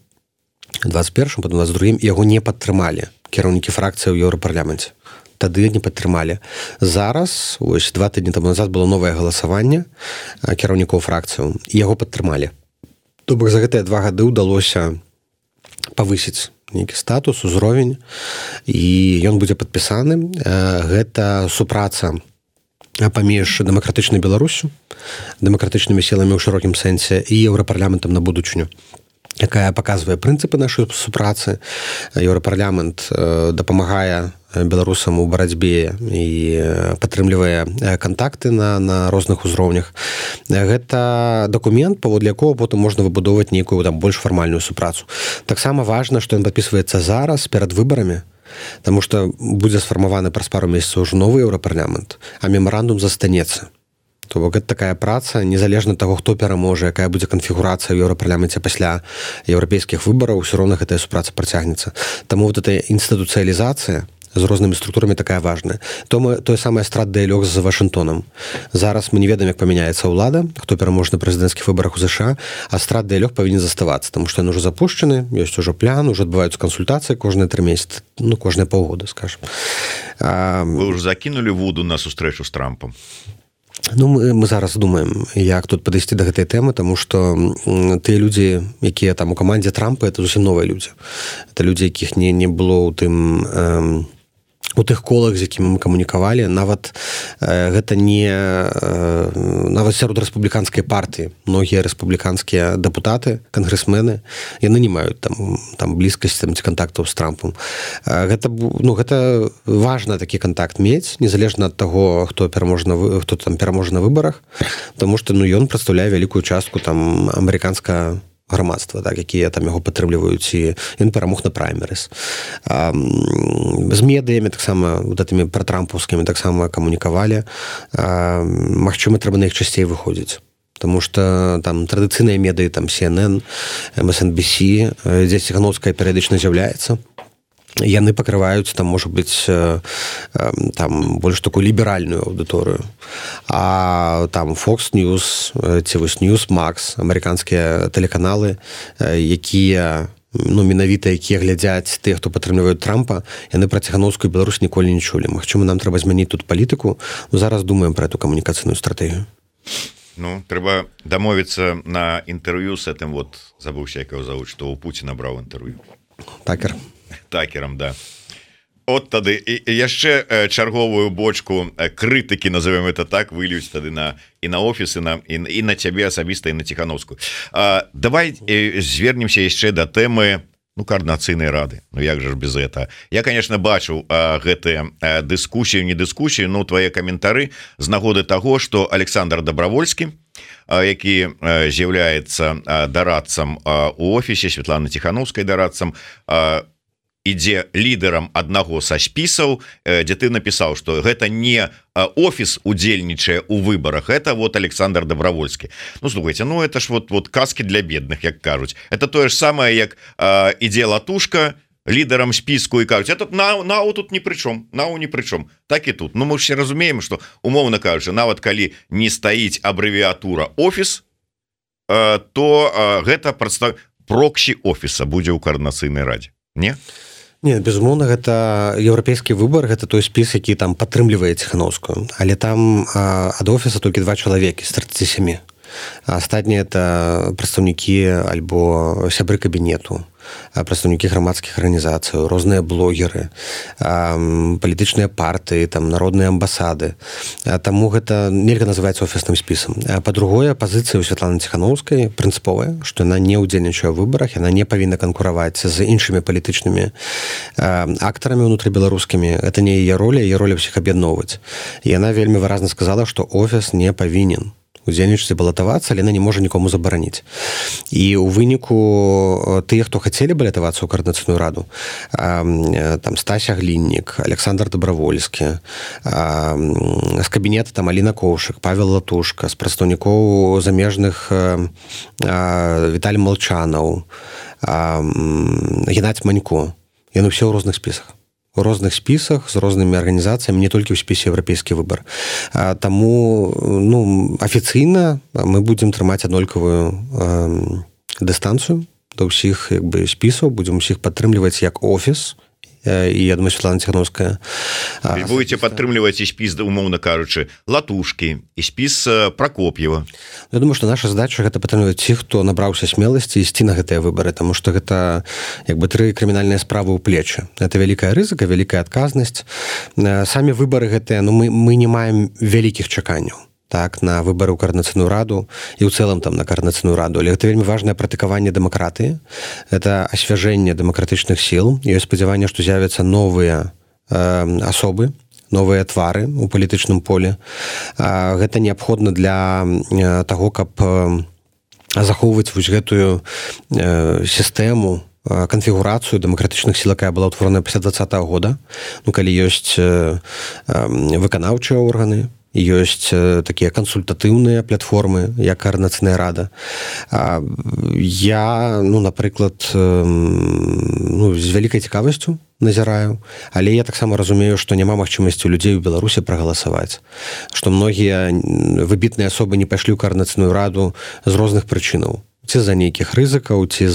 21, потым 22, яго не падтрымалі кіраўнікі фракцыі ў Еўрапарламенце. Тады не падтрымалі. Зараз, ось 2 тыдні таму назад было новае галасаванне кіраўнікоў фракцыяў, і яго падтрымалі. То бок за гэтыя 2 гады ўдалося павысіць нейкі статус, узровень, і ён будзе падпісаны. Гэта супраца паміж дэмакратычнай Беларусю, дэмакратычнымі сіламі ў шырокім сэнсе і Еўрапарламентам на будучыню, якая паказвае прынцыпы нашай супрацы. Еўрапарламент дапамагае беларусам у барацьбе і падтрымлівае кантакты на розных узроўнях. Гэта дакумент, паводле якога потым можна выбудоўваць нейкую там больш фармальную супрацу. Таксама важна, што ён падпісваецца зараз перад выбарамі, таму што будзе сфармаваны праз пару месяцаў ўжо новы Еўрапарламент, а мемарандум застанецца. То бок гэта такая праца, незалежна ад таго, хто пераможа, якая будзе канфігурацыя ў Еўрапарламенце пасля еўрапейскіх выбараў, усё роўна гэтая супраца працягнецца. Таму вот эта інстытуцыялізацыя з рознымі структурамі такая важная. Тое самае стратдыялог з Вашынгтонам. Зараз мы не ведаем, як памяняецца ўлада, хто пераможа на прэзідэнцкіх выбарах у ЗША, а стратдыялог павінен заставацца, таму што ён ужо запушчаны, ёсць ужо план, ужо адбываюцца кансультацыі кожныя 3 месяцы, ну, кожныя паўгода, скажам. Вы ўжо закінулі вуду на сустрэчу з Трампам? Ну, мы зараз думаем, як тут падысці да гэтай тэмы, таму што тыя людзі, якія там у камандзе Трампа, это зусім новыя людзі. Это людзі, якіх не было ў тым у тых колах, з якімі мы камунікавалі, нават гэта не нават сярод рэспубліканскай партыі. Многія рэспубліканскія дэпутаты, кангрэсмены, яны не маюць там блізкасці ці кантактаў з Трампам. Гэта важна такі кантакт мець, незалежна ад таго, хто там пераможа на выбарах, таму што ён прадстаўляе вялікую частку там амерыканскага грамадства, так, якія там яго падтрымліваюць, і ён перамог на праймерыс. З медыямі таксама, вот этими пратрампаўскімі таксама камунікавалі. Магчыма, трэба на іх часцей выходзіць. Таму што там традыцыйныя медыі, там CNN, MSNBC, дзе Ціхановская перыядычна з'яўляецца. Яны пакрываюць, там, можа быць, там, больш такую ліберальную аўдыторыю. А там Fox News, ці вось Newsmax, амерыканскія тэлеканалы, якія, менавіта якія глядзяць тых, хто падтрымліваюць Трампа, яны пра Ціхановскую Беларусь ніколі не чулі. Магчыма, нам трэба змяніць тут палітыку. Зараз думаем пра эту камунікацыйную стратэгію. Ну, трэба дамовіцца на інтэрв'ю з гэтым, вот, забыўся, як яго завуць, што ў Пуціна браў інтэрв'ю. Такерам, да. От тады і яшчэ чарговую бочку крытыкі, назовем это так, выльюць тады і на офіс, і на цябе асабіста, і на Ціхановскую. Давай звернемся яшчэ да тэмы координацыйнай рады. Ну як же ж без этого? Я, конечно, бачыў гэтыя дыскусіі, не дыскусіі, но твае каментары з нагоды таго, што Александр Добровольскі, які з'яўляецца дарадцам у офісе, Светланы Ціхановскай дарадцам, ідзе лідарам аднаго са спісаў, дзе ты напісаў, што гэта не офіс удзельнічае ў выбарах, это вот Александр Добровольскі. Ну, слухайте, ну это ж вот казки для бедных, як кажуць. Это тое ж самае, як ідзе латушка лідарам спіску і кажуць, это нау тут ні пры чым, нау ні пры чым. Так і тут. Ну, мы ж все разумеем, што, умоўна кажучы, нават калі не стаіць абрэвіатура офіс, то гэта проксі офіса будзе ў координацыйнай радзе. Не? Не, безумоўна, гэта еўрапейскі выбар, гэта той спіс, які там падтрымлівае Ціхановскую, але там ад офіса толькі 2 чалавекі з 37. А астатнія это прадстаўнікі альбо сябры кабінету. прадстаўнікі грамадскіх арганізацый, розныя блогеры, палітычныя партыі, там народныя амбасады. Таму гэта нельга называць офісным спісам. Па-другое, пазіцыя ў Святланы Ціханаўскай прынцыповая, што яна не ўдзельнічае ў выбарах, яна не павінна канкураваць з іншымі палітычнымі актарамі ўнутрыбеларускімі. Это не яе роля ўсіх аб'ядноўваць. Яна вельмі выразна сказала, што офіс не павінен удзельнічаць, балатавацца, але яна не можа нікому забараніць. І ў выніку тыя, хто хацелі балатавацца ў каардынацыйную раду, там Стася Гліннік, Александр Добравольскі, з кабінета там Аліна Коўшык, Павел Латушка, з прадстаўнікоў замежных Віталій Малчанаў, Геннадзь Манько. Яны ўсе ў розных спісах. У розных спісах з рознымі арганізацыямі, не толькі ў спісе «Еўрапейскі выбар». Таму афіцыйна мы будзем трымаць аднолькавую дыстанцыю да ўсіх спісаў, будзем усіх падтрымліваць як офіс, і я думаю, Святлана Ціханаўская. Вы будете падтрымліваць і спіс, умоўна кажучы, Латушкі, і спіс Пракоп'ева. Я думаю, што наша задача гэта падтрымліваць тых, хто набраўся смеласці ісці на гэтыя выбары, таму што гэта 3 крымінальныя справы ў плечы. Это вялікая рызыка, вялікая адказнасць. Самі выбары гэтыя, мы не маем вялікіх чаканняў так, на выбары ў каардынацыйную раду і ў цэлым там на каардынацыйную раду. Але гэта вельмі важнае практыкаванне дэмакратыі, это асвяжэнне дэмакратычных сіл. Ёсць спадзяванне, што з'явяцца новыя асобы, новыя твары ў палітычным полі. Гэта неабходна для таго, каб захоўваць вось гэтую сістэму, канфігурацыю дэмакратычных сіл, якая была ўтворана пасля 2020 года, калі ёсць выканаўчыя органы, ёсць такія кансультатыўныя платформы, як каардынацыйная рада. Я, напрыклад, з вялікай цікавасцю назіраю, але я таксама разумею, што няма магчымасці у людзей у Беларусі прагаласаваць, што многія выбітныя асобы не пайшлі ў каардынацыйную раду з розных прычынаў. Ці з-за нейкіх рызыкаў, ці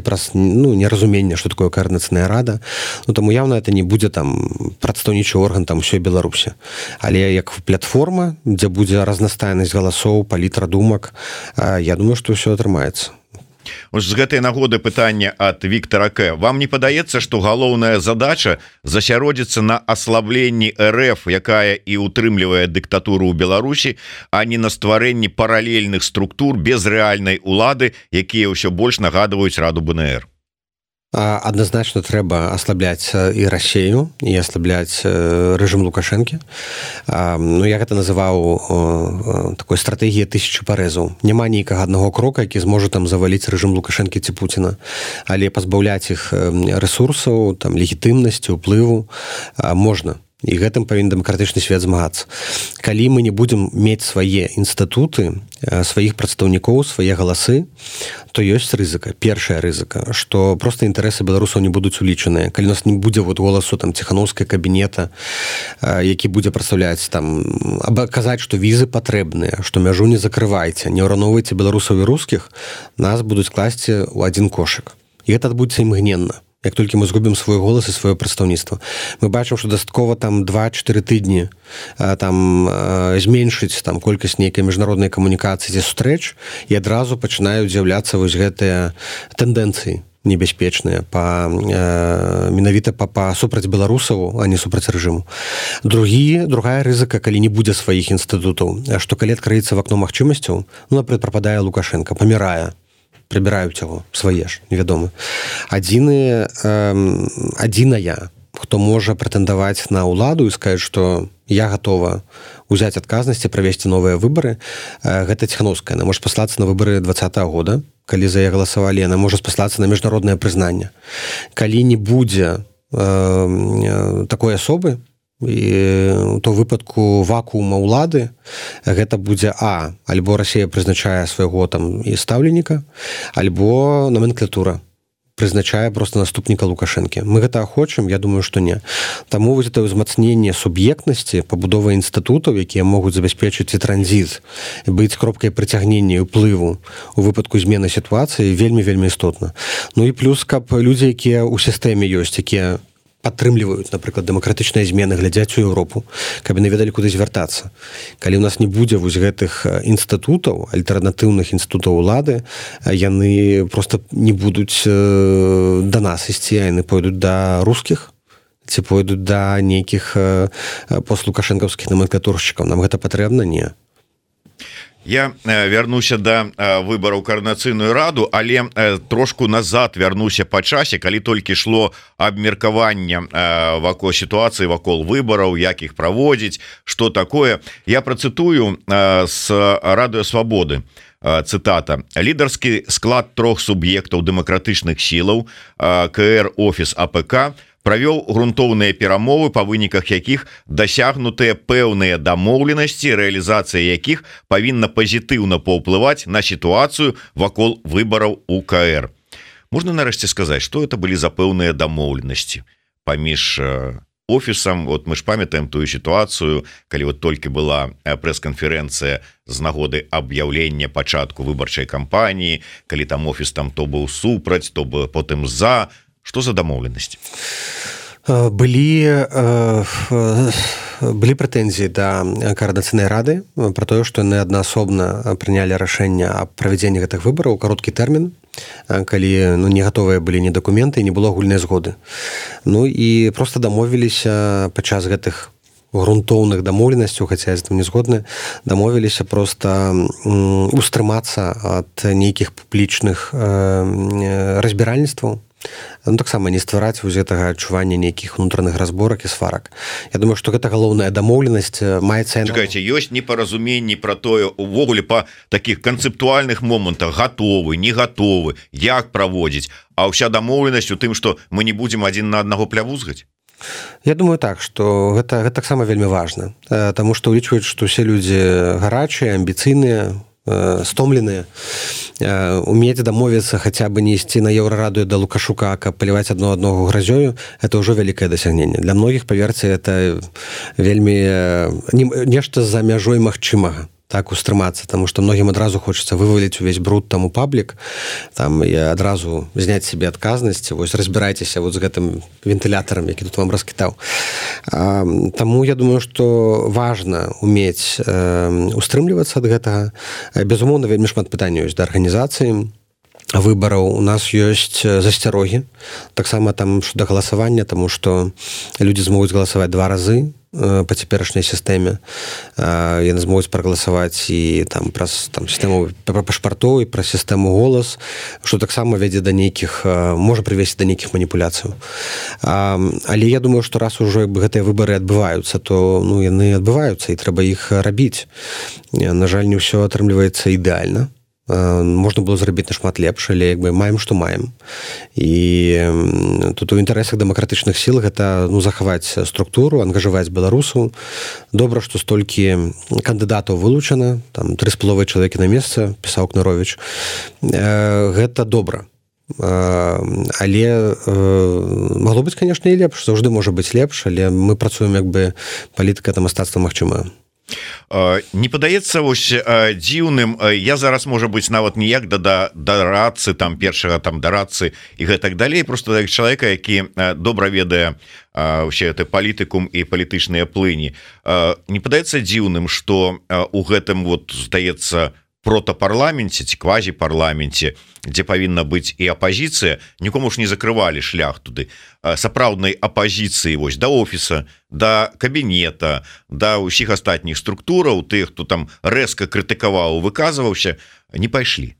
праз неразумення, што такое каардынацыйная рада. Таму явна это не будзе прадстаўнічы орган ўсёй Беларусі. Але як платформа, дзе будзе разнастайнасць галасоў, палітра думак, я думаю, што ўсё атрымаецца. З гэтай нагоды пытанне ад Віктара К. Вам не падаецца, што галоўная задача засяродзіцца на аслабленні РФ, якая і ўтрымлівае дыктатуру ў Беларусі, а не на стварэнні паралельных структур без рэальнай улады, якія ўсё больш нагадваюць Раду БНР? Адназначна трэба аслабляць і Расею, і аслабляць рэжым Лукашэнкі. Я гэта называў такой стратэгіяй 1000 парэзаў. Няма нейкага аднаго крока, які зможа заваліць рэжым Лукашэнкі ці Пуціна, але пазбаўляць іх рэсурсаў, легітымнасці, уплыву можна. І гэтым павінен дэмакратычны свет змагацца. Калі мы не будзем мець свае інстытуты, сваіх прадстаўнікоў, свае галасы, то ёсць рызыка. Першая рызыка, што проста інтарэсы беларусаў не будуць улічаныя. Калі у нас не будзе голасу Ціханаўскай кабінета, які будзе прадстаўляць казаць, што візы патрэбныя, што мяжу не закрывайце, не ўраўноўвайце беларусаў і рускіх, нас будуць класці ў адзін кошык. І гэта адбудзецца імгненна. Як толькі мы згубім свой голас і сваё прадстаўніцтва. Мы бачым, што дастаткова 2-4 тыдні зменшыць колькасць нейкай міжнароднай камунікацыі ці сустрэч, і адразу пачынаюць з'яўляцца вось гэтыя тэндэнцыі небяспечныя менавіта супраць беларусаў, а не супраць рэжыму. Другая рызыка, калі не будзе сваіх інстытутаў, што калі адкрыецца вакно магчымасцяў, напрыклад, прападае Лукашенко, памірае, прыбіраюць яго, свае ж, невядома. Адзіная, хто можа прэтэндаваць на ўладу і сказаць, што я гатова ўзяць адказнасць і правесці новыя выбары, гэта Ціханаўская. Яна можа паслацца на выбары 2020 года, калі за яе галасавалі, яна можа спаслацца на міжнароднае прызнанне. Калі не будзе такой асобы, і то выпадку вакуума ўлады гэта будзе альбо Расія прызначае свайго і стаўленіка, альбо номенклатура прызначае проста наступніка Лукашэнкі. Мы гэта хочам? Я думаю, што не. Таму вось гэта ўзмацненне суб'ектнасці, пабудова інстытутаў, якія могуць забяспечыць і транзіт, быць кропкай прыцягнення і ўплыву у выпадку змены сітуацыі вельмі-вельмі істотна. І плюс, каб людзі, якія ў сістэме ёсць, якія падтрымліваюць, напрыклад, дэмакратычныя змены, глядзяць у Еўропу, каб яны ведалі, куды звяртацца. Калі ў нас не будзе вось гэтых інстытутаў, альтэрнатыўных інстытутаў улады, яны проста не будуць да нас ісці, а яны пойдуць да рускіх, ці пойдуць да нейкіх постлукашэнкаўскіх номенклатуршчыкаў. Нам гэта патрэбна? Не. Я вярнуся да выбараў каардынацыйную раду, але трошку назад вярнуся па часе, калі толькі шло абмеркаванне вакол сітуацыі, вакол выбараў, як іх праводзіць, што такое. Я працытую з Радыё Свабоды. Цытата: лідарскі склад 3 суб'ектаў дэмакратычных сілаў КР офіс АПК правёў грунтоўныя перамовы, па выніках якіх дасягнутыя пэўныя дамоўленасці, рэалізацыя якіх павінна пазітыўна паўплываць на сітуацыю вакол выбараў у КР. Можна нарэшце сказаць, што это былі за пэўныя дамоўленасці паміж офісам? Вот мы ж памятаем тую сітуацыю, калі вот толькі была прэс-канферэнцыя з нагоды аб'яўлення пачатку выбарчай кампаніі, калі там офіс там то быў супраць, то потым за. Што за дамоўленасці? Былі прэтэнзіі да каардынацыйнай рады пра тое, што яны аднаасобна прынялі рашэнне аб правядзенні гэтых выбараў у кароткі тэрмін, калі не гатовыя былі ні дакументы, не было агульнай згоды. І проста дамовіліся падчас гэтых грунтоўных дамоўленасцяў, хаця я з гэтым не згодны, дамовіліся проста устрымацца ад нейкіх публічных разбіральніцтваў, таксама не ствараць вось гэтага адчування нейкіх унутраных разборак і сварак. Я думаю, што гэта галоўная дамоўленасць маецца... Чакайце, ёсць непаразуменні пра тое, увогуле па такіх канцэптуальных момантах, гатовы, не гатовы, як праводзіць, а ўся дамоўленасць у тым, што мы не будзем адзін на аднаго плявузгаць? Я думаю так, што гэта таксама вельмі важна, таму што ўлічваюць, што ўсе людзі гарачыя, амбіцыйныя, стомленыя, умець дамовіцца хаця бы не ісці на Еўрараду да Лукашука, каб паліваць адно аднаго гразёю, это ўжо вялікае дасягненне. Для многіх, паверце, это вельмі нешта за мяжой магчымага так устрымацца, таму што многім адразу хочацца вываліць увесь бруд там у паблік, там і адразу зняць себе адказнасць, вось разбірайцеся вот з гэтым вентылятарам, які тут вам раскітаў. Таму я думаю, што важна умець устрымлівацца ад гэтага. Безумоўна, вельмі шмат пытанняў ёсць да арганізацыі выбараў. У нас ёсць засцярогі, таксама там да галасавання, таму што людзі змогуць галасаваць 2 разы па цяперашняй сістэме. Яны змогуць прагаласаваць і там праз сістэму пашпартоў і праз сістэму голас, што таксама вядзе да нейкіх, можа прывесці да нейкіх маніпуляцыяў. Але я думаю, што раз ужо гэтыя выбары адбываюцца, то яны адбываюцца і трэба іх рабіць. На жаль, не ўсё атрымліваецца ідэальна. Можна было зрабіць нашмат лепш, але маем, што маем. І тут у інтарэсах дэмакратычных сіл гэта захаваць структуру, ангажаваць беларусаў. Добра, што столькі кандыдатаў вылучана, там 3,5 чалавекі на месца, пісаў Кнаровіч. Гэта добра. Але магло быць, канешне, і лепш. Заўжды можа быць лепш, але мы працуем палітыка это мастацтва магчымае. Не падаецца вось дзіўным, я зараз можа быць нават ніяк да дарадцы, там першага там дарадцы і гэтак далей, просто як чалавека, які добра ведае вообще это палітыкум і палітычныя плыні. Не падаецца дзіўным, што у гэтым вот здаецца протапарламенце ці квазіпарламенце, дзе павінна быць і апазіцыя, нікому ж не закрывалі шлях туды сапраўднай апазіцыі вось да офіса, да кабінета, да ўсіх астатніх структураў, тых, хто там рэзка крытыкаваў, выказваўся, не пайшлі.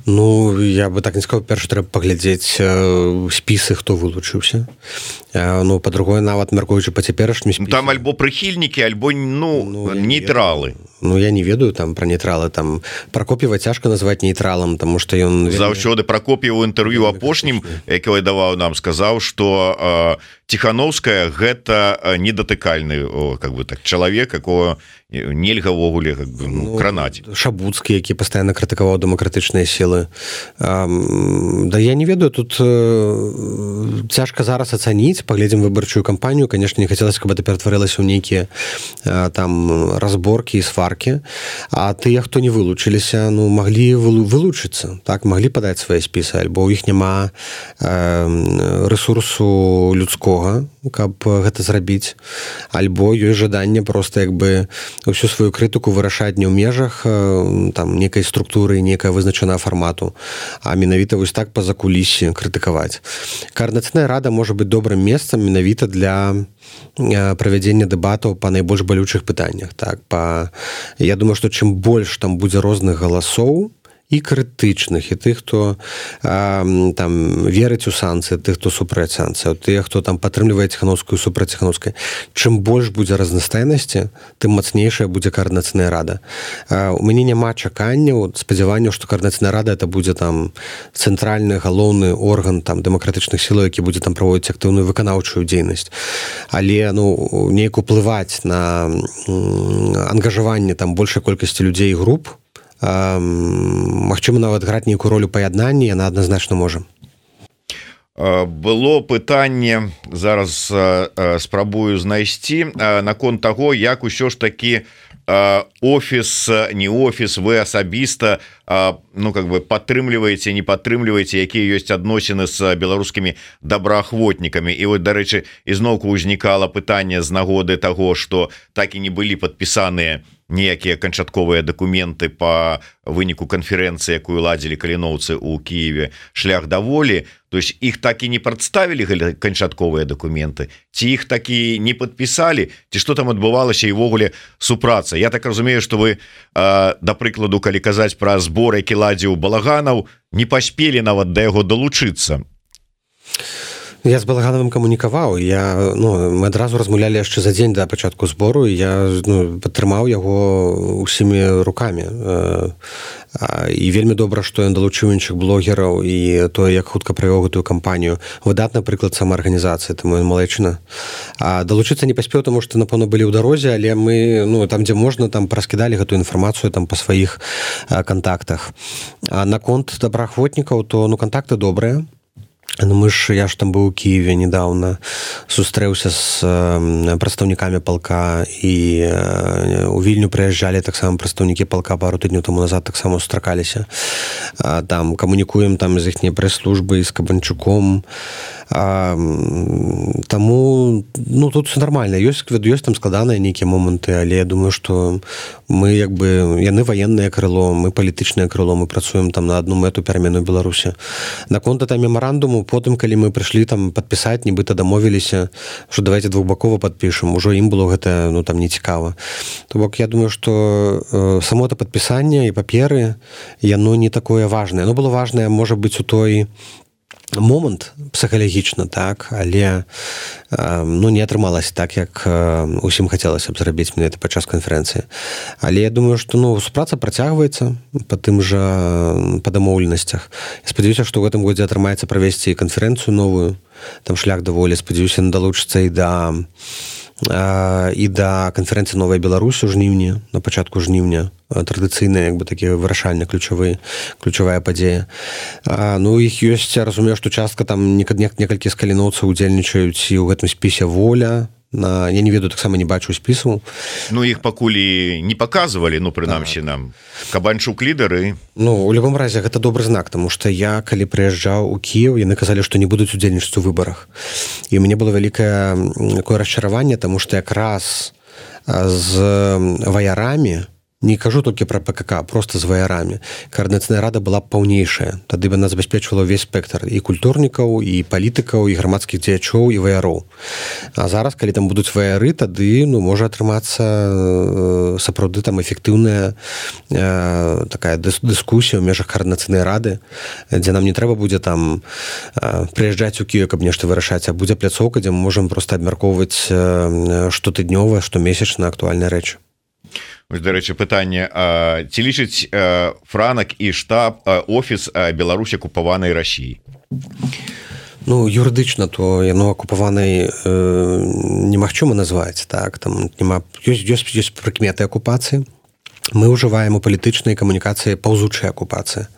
Я бы так не сказаў, перш трэба паглядзець спісы, хто вылучыўся. Па-другое, нават мяркуючы па цяперашнім спісе. Там альбо прыхільнікі, альбо нейтралы. Я не ведаю там пра нейтралы. Там Пракоп'ева цяжка назваць нейтралам, таму што ён... Заўсёды Пракоп'еў у інтэрв'ю апошнім, якое даваў нам, сказаў, што Ціханаўская гэта недатыкальны чалавек, якого нельга ўвогуле кранаць. Шабуцкі, які пастаянна крытыкаваў дэмакратычныя сілы. Да я не ведаю, тут цяжка зараз ацаніць, паглядзім выбарчую кампанію. Конечно, не хацелася, каб это ператварылася ў нейкія там разборкі і сваркі праверкі, а тыя, хто не вылучыліся, ну, маглі вылучыцца, так, маглі падаць свае спісы, альбо ў іх няма рэсурсу людскога, каб гэта зрабіць, альбо ёсць жаданне проста як бы ўсю сваю крытыку вырашаць не ў межах там некай структуры, некая вызначаная фармату, а менавіта вось так па закулісе крытыкаваць. Каардынацыйная рада можа быць добрым месцам менавіта для правядзення дэбатаў па найбольш балючых пытаннях. Так, я думаю, што чым больш там будзе розных галасоў, і крытычных, і тых, хто там верыць у санкцыі, тых, хто супраць санкцыяў, тых, хто там падтрымлівае ціханаўскую супраць ціханаўскай. Чым больш будзе разнастайнасці, тым мацнейшая будзе каардынацыйная рада. У мяне няма чаканняў, спадзяванняў, што каардынацыйная рада это будзе там цэнтральны галоўны орган там дэмакратычных сілаў, які будзе там праводзіць актыўную выканаўчую дзейнасць. Але ну неяк уплываць на ангажаванне там большай колькасці людзей і груп, магчыма, нават граць нейкую ролю паяднання, яна адназначна можа. Было пытанне, зараз спрабую знайсці, наконт таго, як усё ж такі офіс, не офіс, вы асабіста ну как бы падтрымліваеце, не падтрымліваеце, якія ёсць адносіны з беларускімі добраахвотнікамі. І вот, дарэчы, ізноўку ўзнікала пытанне з нагоды таго, што так і не былі падпісаныя ніякія канчатковыя дакументы по выніку канферэнцыі, якую ладзілі каліноўцы ў Кіеве шлях да волі. То есть іх так і не прадставілі канчатковыя дакументы, ці іх такі не падпісалі, ці што там адбывалася і ўвогуле супраца. Я так разумею, што вы, да прыкладу, калі казаць пра збор, які ладзіў Балаганаў, не паспелі нават да яго далучыцца. Я з Балагановым камунікаваў, мы адразу размаўлялі яшчэ за дзень да пачатку збору, і я падтрымаў яго ўсімі рукамі. І вельмі добра, што ён далучыў іншых блогераў і тое, як хутка правёў гэтую кампанію. Выдатны прыклад самаарганізацыі, таму ён малайчына. Далучыцца не паспеў, таму што, напэўна, былі ў дарозе, але мы, там, дзе можна, там праскідалі гэтую інфармацыю там па сваіх кантактах. А наконт добраахвотнікаў, то кантакты добрыя. Я ж там быў у Киеве недавно, сустрэўся з прадстаўнікамі палка, і у Вільню прыязджалі таксама прадстаўнікі палка пару тыдняў таму назад, таксама сустракаліся. Там камунікуем там з іхняй прэс-службай, з Кабанчуком. Таму тут все нормально. Ёсць там складаныя нейкія моманты, але я думаю, што мы яны ваеннае крыло, мы палітычнае крыло, мы працуем там на адну мэту перамену Беларусі. Наконт этого мемарандуму, потым, калі мы прыйшлі там падпісаць, нібыта дамовіліся, што давайте двухбакова падпішам, ужо ім было гэта там не цікава. То бок я думаю, што само это падпісанне і паперы, яно не такое важнае. Оно было важнае, можа быць, у той момант псіхалагічна, так, але не атрымалася так, як усім хацелася б зрабіць менавіта падчас канферэнцыі. Але я думаю, што супраца працягваецца па дамоўленасцях. Я спадзяюся, што ў гэтым годзе атрымаецца правесці канферэнцыю новую, там шлях да волі, спадзяюся, далучыцца і да канферэнцыі «Новая Беларусь» у жніўні, на пачатку жніўня, традыцыйная, такі вырашальна ключавая падзея. Іх ёсць, я разумею, што частка там некалькі з каліноўцаў удзельнічаюць і ў гэтым спісе «Воля». Я не ведаю, таксама не бачу спісу. Іх пакуль не паказвалі, прынамсі нам. Кабанчук лідары. У любым разе, гэта добры знак, таму што я, калі прыязджаў у Кіеў, яны казалі, што не будуць удзельнічаць у выбарах. І у мяне было вялікае такое расчараванне, таму што якраз з ваярамі, не кажу толькі пра ПКК, просто з ваярамі, каардынацыйная рада была б паўнейшая. Тады бы яна забяспечвала ўвесь спектр і культурнікаў, і палітыкаў, і грамадскіх дзеячоў, і ваяроў. А зараз, калі там будуць ваяры, тады можа атрымацца сапраўды там эфектыўная такая дыскусія ў межах каардынацыйнай рады, дзе нам не трэба будзе там прыязджаць у Кіев, каб нешта вырашаць, а будзе пляцоўка, дзе мы можам проста абмяркоўваць штотыднёва, штомесячна актуальныя рэчы. Дарэчы, пытанне, ці лічыць Франак і штаб офіс Беларусь акупаванай Расіі? Юрыдычна, то яно акупаванай немагчыма назваць, так, там ёсць прыкметы акупацыі, мы ўжываем у палітычнай камунікацыі паўзучай акупацыі,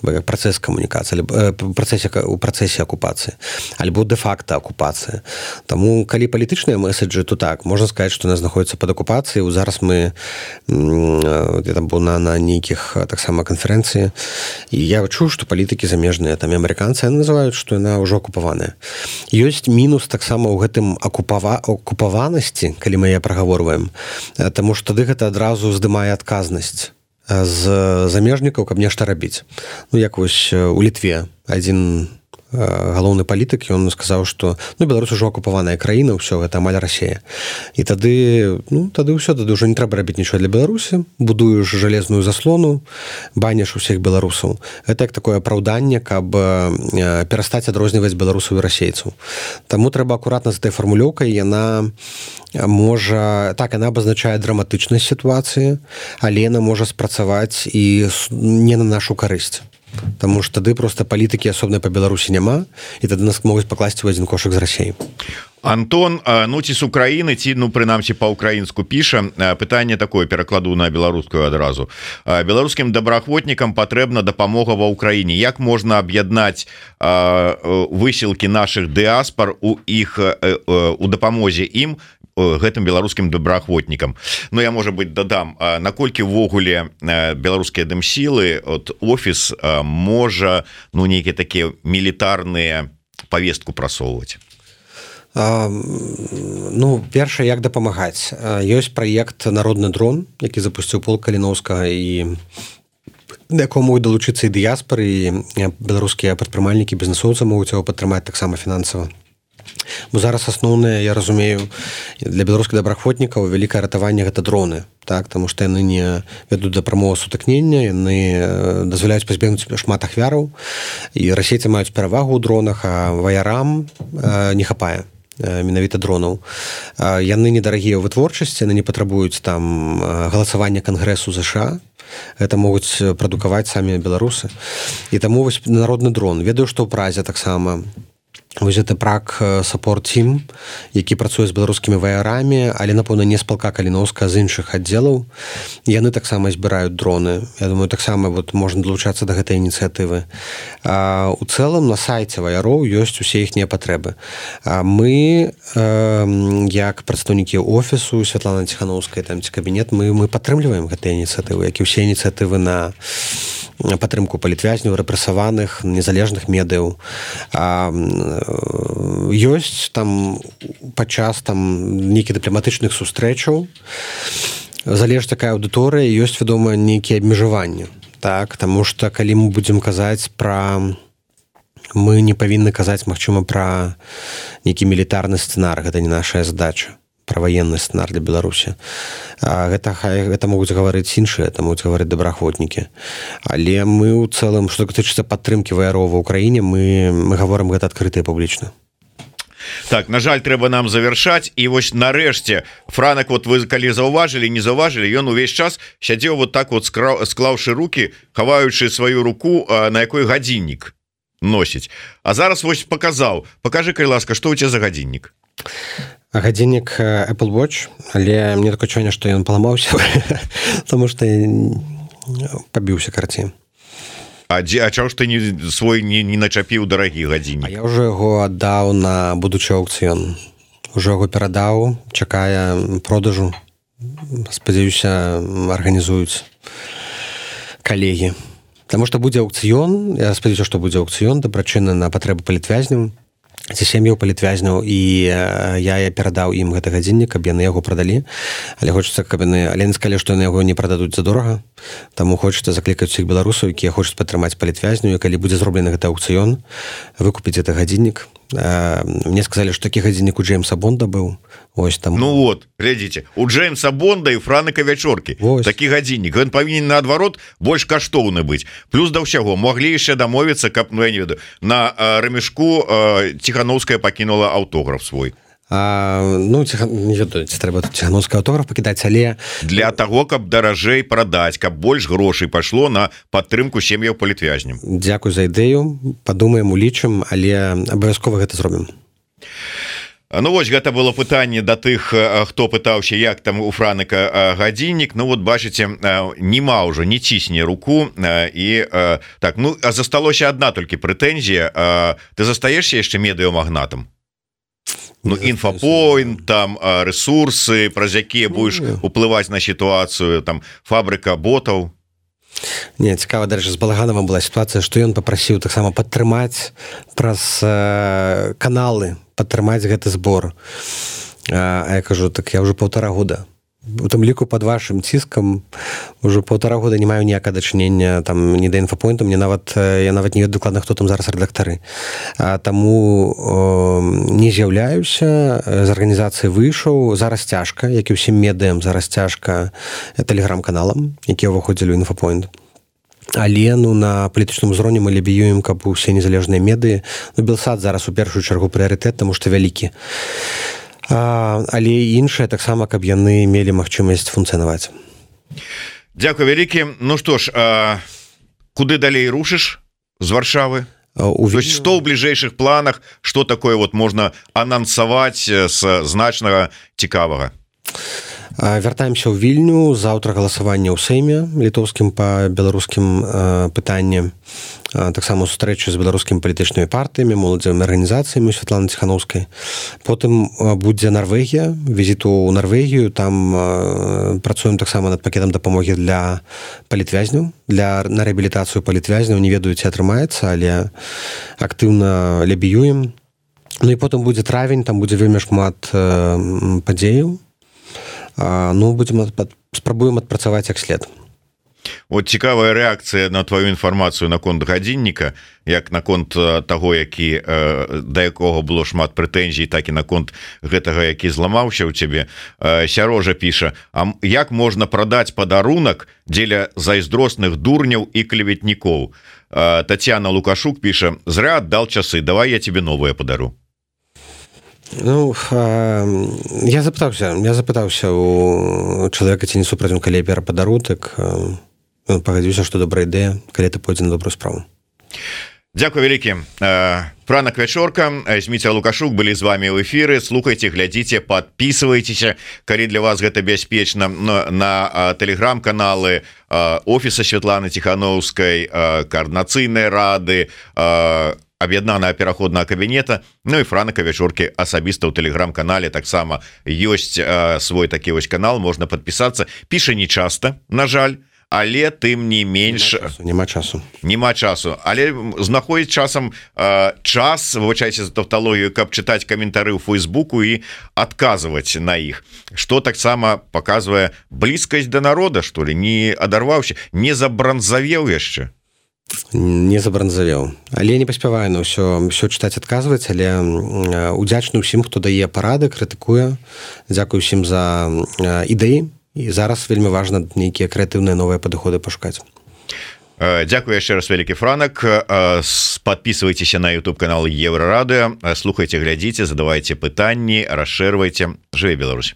як працэс камунікацыі, у працэсе акупацыі, альбо дэ-факта акупацыі. Таму, калі палітычныя меседжы, то так, можна сказаць, што яна знаходзіцца пад акупацыяй. Зараз я там быў на нейкіх таксама канферэнцыі, і я чуў, што палітыкі замежныя, там і амерыканцы называюць, што яна ўжо акупаваная. Ёсць мінус таксама ў гэтым акупаванасці, калі мы яе прагаворваем, таму што тады гэта адразу здымае адказнасць з замежнікаў, каб нешта рабіць. Як вось у Літве адзін галоўны палітык, ён сказаў, што Беларусь ужо акупаваная краіна, ўсё, гэта амаль Расія. І тады ўсё, тады ўжо не трэба рабіць нічого для Беларусі, будуеш жалезную заслону, баніш усіх беларусаў. Гэта як такое апраўданне, каб перастаць адрозніваць беларусаў і расейцаў. Таму трэба акуратна з этой фармулёўкай, яна абазначае драматычнасць сітуацыі, але яна можа спрацаваць і не на нашу карысць. Таму што тады проста палітыкі асобнай па Беларусі няма, і тады нас могуць пакласці ў адзін кошык з Расіі. Антон, ці з Украіны, ці прынамсі па-украінску піша, пытанне такое, перакладу на беларускую адразу. Беларускім добраахвотнікам патрэбна дапамога ва ўкраіне. Як можна аб'яднаць высілкі нашых дыаспар у дапамозе ім, гэтым беларускім добраахвотнікам? Я, можа быць, дадам, наколькі ўвогуле беларускія дэмсілы, офіс можа нейкія такія мілітарныя павестку прасоўваць? Першае, як дапамагаць. Ёсць праект «Народны дрон», які запусціў полк Каліноўскага, і да якого могуць далучыцца і дыяспары, і беларускія прадпрымальнікі, бізнесоўцы могуць яго падтрымаць таксама фінансава. Бо зараз асноўнае, я разумею, для беларускіх добраахвотнікаў вялікае ратаванне гэта дроны, таму што яны не вядуць да прамога сутыкнення, яны дазваляюць пазбегнуць шмат ахвяраў, і расейцы маюць перавагу ў дронах, а ваярам не хапае менавіта дронаў. Яны недарагія ў вытворчасці, яны не патрабуюць там галасавання Кангрэсу ЗША, гэта могуць прадукаваць самі беларусы. І таму вось народны дрон. Ведаю, што ў Празе таксама вось гэта прак саппорт тім, які працуе з беларускімі ваярамі, але, напэўна, не з палка Каліноўска, з іншых аддзелаў. Яны таксама збіраюць дроны. Я думаю, таксама можна далучацца да гэтай ініцыятывы. У цэлым на сайце ваяроў ёсць усе іхнія патрэбы. Мы, як прадстаўнікі офісу Святланы Ціхановскай, ці кабінет, мы падтрымліваем гэтыя ініцыятывы, як і ўсе ініцыятывы на падтрымку палітвязняў, рэпрэсаваных, незалежных медыяў. Ёсць там падчас нейкіх дыпламатычных сустрэчаў, залежыць такая аўдыторыя, ёсць, вядома, нейкія абмежаванні. Таму што калі мы будзем казаць мы не павінны казаць, магчыма, пра нейкі мілітарны сцэнар, гэта не нашая задача, пра ваенны сцэнар для Беларусі. Гэта могуць гаварыць іншыя, это могуць гаварыць добраахвотнікі. Але мы ў цэлым, што датычыцца падтрымкі ваяроў ва ўкраіне, мы гаворым гэта адкрыта і публічна. Так, на жаль, трэба нам завяршаць. І вось нарэшце, Франак, вы калі заўважылі, не заўважылі, ён увесь час сядзеў склаўшы рукі, хаваючы сваю руку, на якой гадзіннік носіць. А зараз вось паказаў. Пакажы, калі ласка, што ў цябе за гадзіннік? Гадзіннік Apple Watch, але мне такое адчуванне, што ён паламаўся, таму што пабіўся карці. А чаго ж ты свой не начапіў дарагі гадзіннік? А я ўжо яго аддаў на будучы аукцыён. Ужо яго перадаў, чакае продажу. Спадзяюся, арганізуюць калегі. Таму што будзе аукцыён, я спадзяюся, што будзе аукцыён, дабрачынны на патрэбы палітвязняў, ці сем'яў палітвязняў, і я перадаў ім гэты гадзіннік, каб яны яго прадалі, але хочацца, каб яны сказалі, што яны яго не прададуць задорага, таму хочацца заклікаць усіх беларусаў, якія хочуць падтрымаць палітвязню, і калі будзе зроблены гэты аукцыён, выкупіць гэты гадзіннік. Мне сказалі, што такі гадзіннік у Джеймса Бонда быў. Глядзіце, у Джеймса Бонда і Франыка Вячоркі такі гадзіннік, ён павінен наадварот больш каштоўны быць. Плюс да ўсяго маглі яшчэ дамовіцца, каб, я не ведаю, на рамішку Ціхановская пакінула аўтограф свой. Не ведаю, ці трэба тут Ціхановскі аўтограф пакідаць, але для таго, каб даражэй прадаць, каб больш грошай пайшло на падтрымку сем'яў палітвязням. Дзякуй за ідэю, падумаем, улічым, але абавязкова гэта зробім. Ну вось гэта было пытанне да тых, хто пытаўся, як там у Франыка гадзіннік. Ну вот бачыце, нема ўжо, не цісне руку і так. Ну а засталося адна толькі прэтэнзія. Ты застаешся яшчэ медыямагнатам? Ну інфапоінт, там рэсурсы, праз якія будзеш уплываць на сітуацыю, там фабрыка ботаў. Не, цікава, дарэчы, з Балаганавым была сітуацыя, што ён папрасіў таксама падтрымаць праз каналы, падтрымаць гэты збор. А я кажу, так я ўжо 1,5 года. У тым ліку пад вашым ціскам ўжо 1,5 года не маю ніякага дачынення там ні да інфапоінту, я нават не ведаю дакладна, хто там зараз рэдактары. Таму не з'яўляюся, з арганізацыі выйшаў, зараз цяжка, як і ўсім медыям, зараз цяжка тэлеграм-каналам, якія ўваходзілі ў інфапоінт. Але ну на палітычным узроўні мы лабіюем, каб усе незалежныя медыі. Ну Белсат зараз у першую чаргу прыярытэт, таму што вялікі. Але іншыя таксама, каб яны мелі магчымасць функцыянаваць. Дзякуй вялікі. Ну што ж, куды далей рушыш з Варшавы? Што ў бліжэйшых планах, што такое вот можна анансаваць з значнага цікавага? Вяртаемся ў Вільню. Заўтра галасаванне ў Сейме літоўскім па беларускім пытанні. Таксама сустрэчы з беларускімі палітычнымі партыямі, моладзевымі арганізацыямі Святланы Ціханаўскай. Потым будзе Нарвегія, візіт у Нарвегію. Там працуем таксама над пакетам дапамогі для палітвязняў, на рэабілітацыю палітвязняў. Не ведаю, ці атрымаецца, але актыўна лабіюем. Ну і потым будзе травень, там будзе вельмі шмат падзеяў. Ну, спрабуем адпрацаваць як след. Вот цікавая рэакцыя на твою інфармацыю наконт гадзінніка, як наконт таго, да якога было шмат прэтэнзій, так і наконт гэтага, які зламаўся ў цябе. Сярожа піша: а як можна прадаць падарунак дзеля зайздросных дурняў і клеветнікоў? Тацяна Лукашук піша: зря аддал часы, давай я тебе новое падару. Ну, я запытаўся у чалавека, ці не супраць, калі я перападару, так пагадзіўся, што добрая ідэя, калі ты пойдзе на добрую справу. Дзякуй вялікі. Франак Вячорка, Зміцер Лукашук былі з вами ў эфіры. Слухайце, глядзіце, подписывайтеся, калі для вас гэта бяспечна, на тэлеграм-каналы офіса Святланы Ціханаўскай, коордынацыйнай рады, аб'яднанага пераходнага кабінета. Ну і Франака Вячоркі асабіста ў тэлеграм-канале таксама ёсць свой такі вось канал, можна падпісацца. Піша не часта, на жаль, але тым не менш няма часу, але знаходзіць часам час, вывучайце за тавталогію, каб чытаць каментары ў Фейсбуку і адказваць на іх, што таксама паказвае блізкасць да народа, што ли, не адарваўся, не забранзавеў яшчэ. Не забранзавеў, але не паспяваю на ўсё чытаць, адказваць, але удзячны ўсім, хто дае парады, крытыкуе. Дзякую ўсім за ідэі. І зараз вельмі важна нейкія крэатыўныя новыя падыходы пашукаць. Дзякую яшчэ раз, вялікі Франак. Подписывайтеся на YouTube канал Еўрарадыё, слухайце, глядзіце, задавайце пытанні, расшэрвайце. Жыве Беларусь!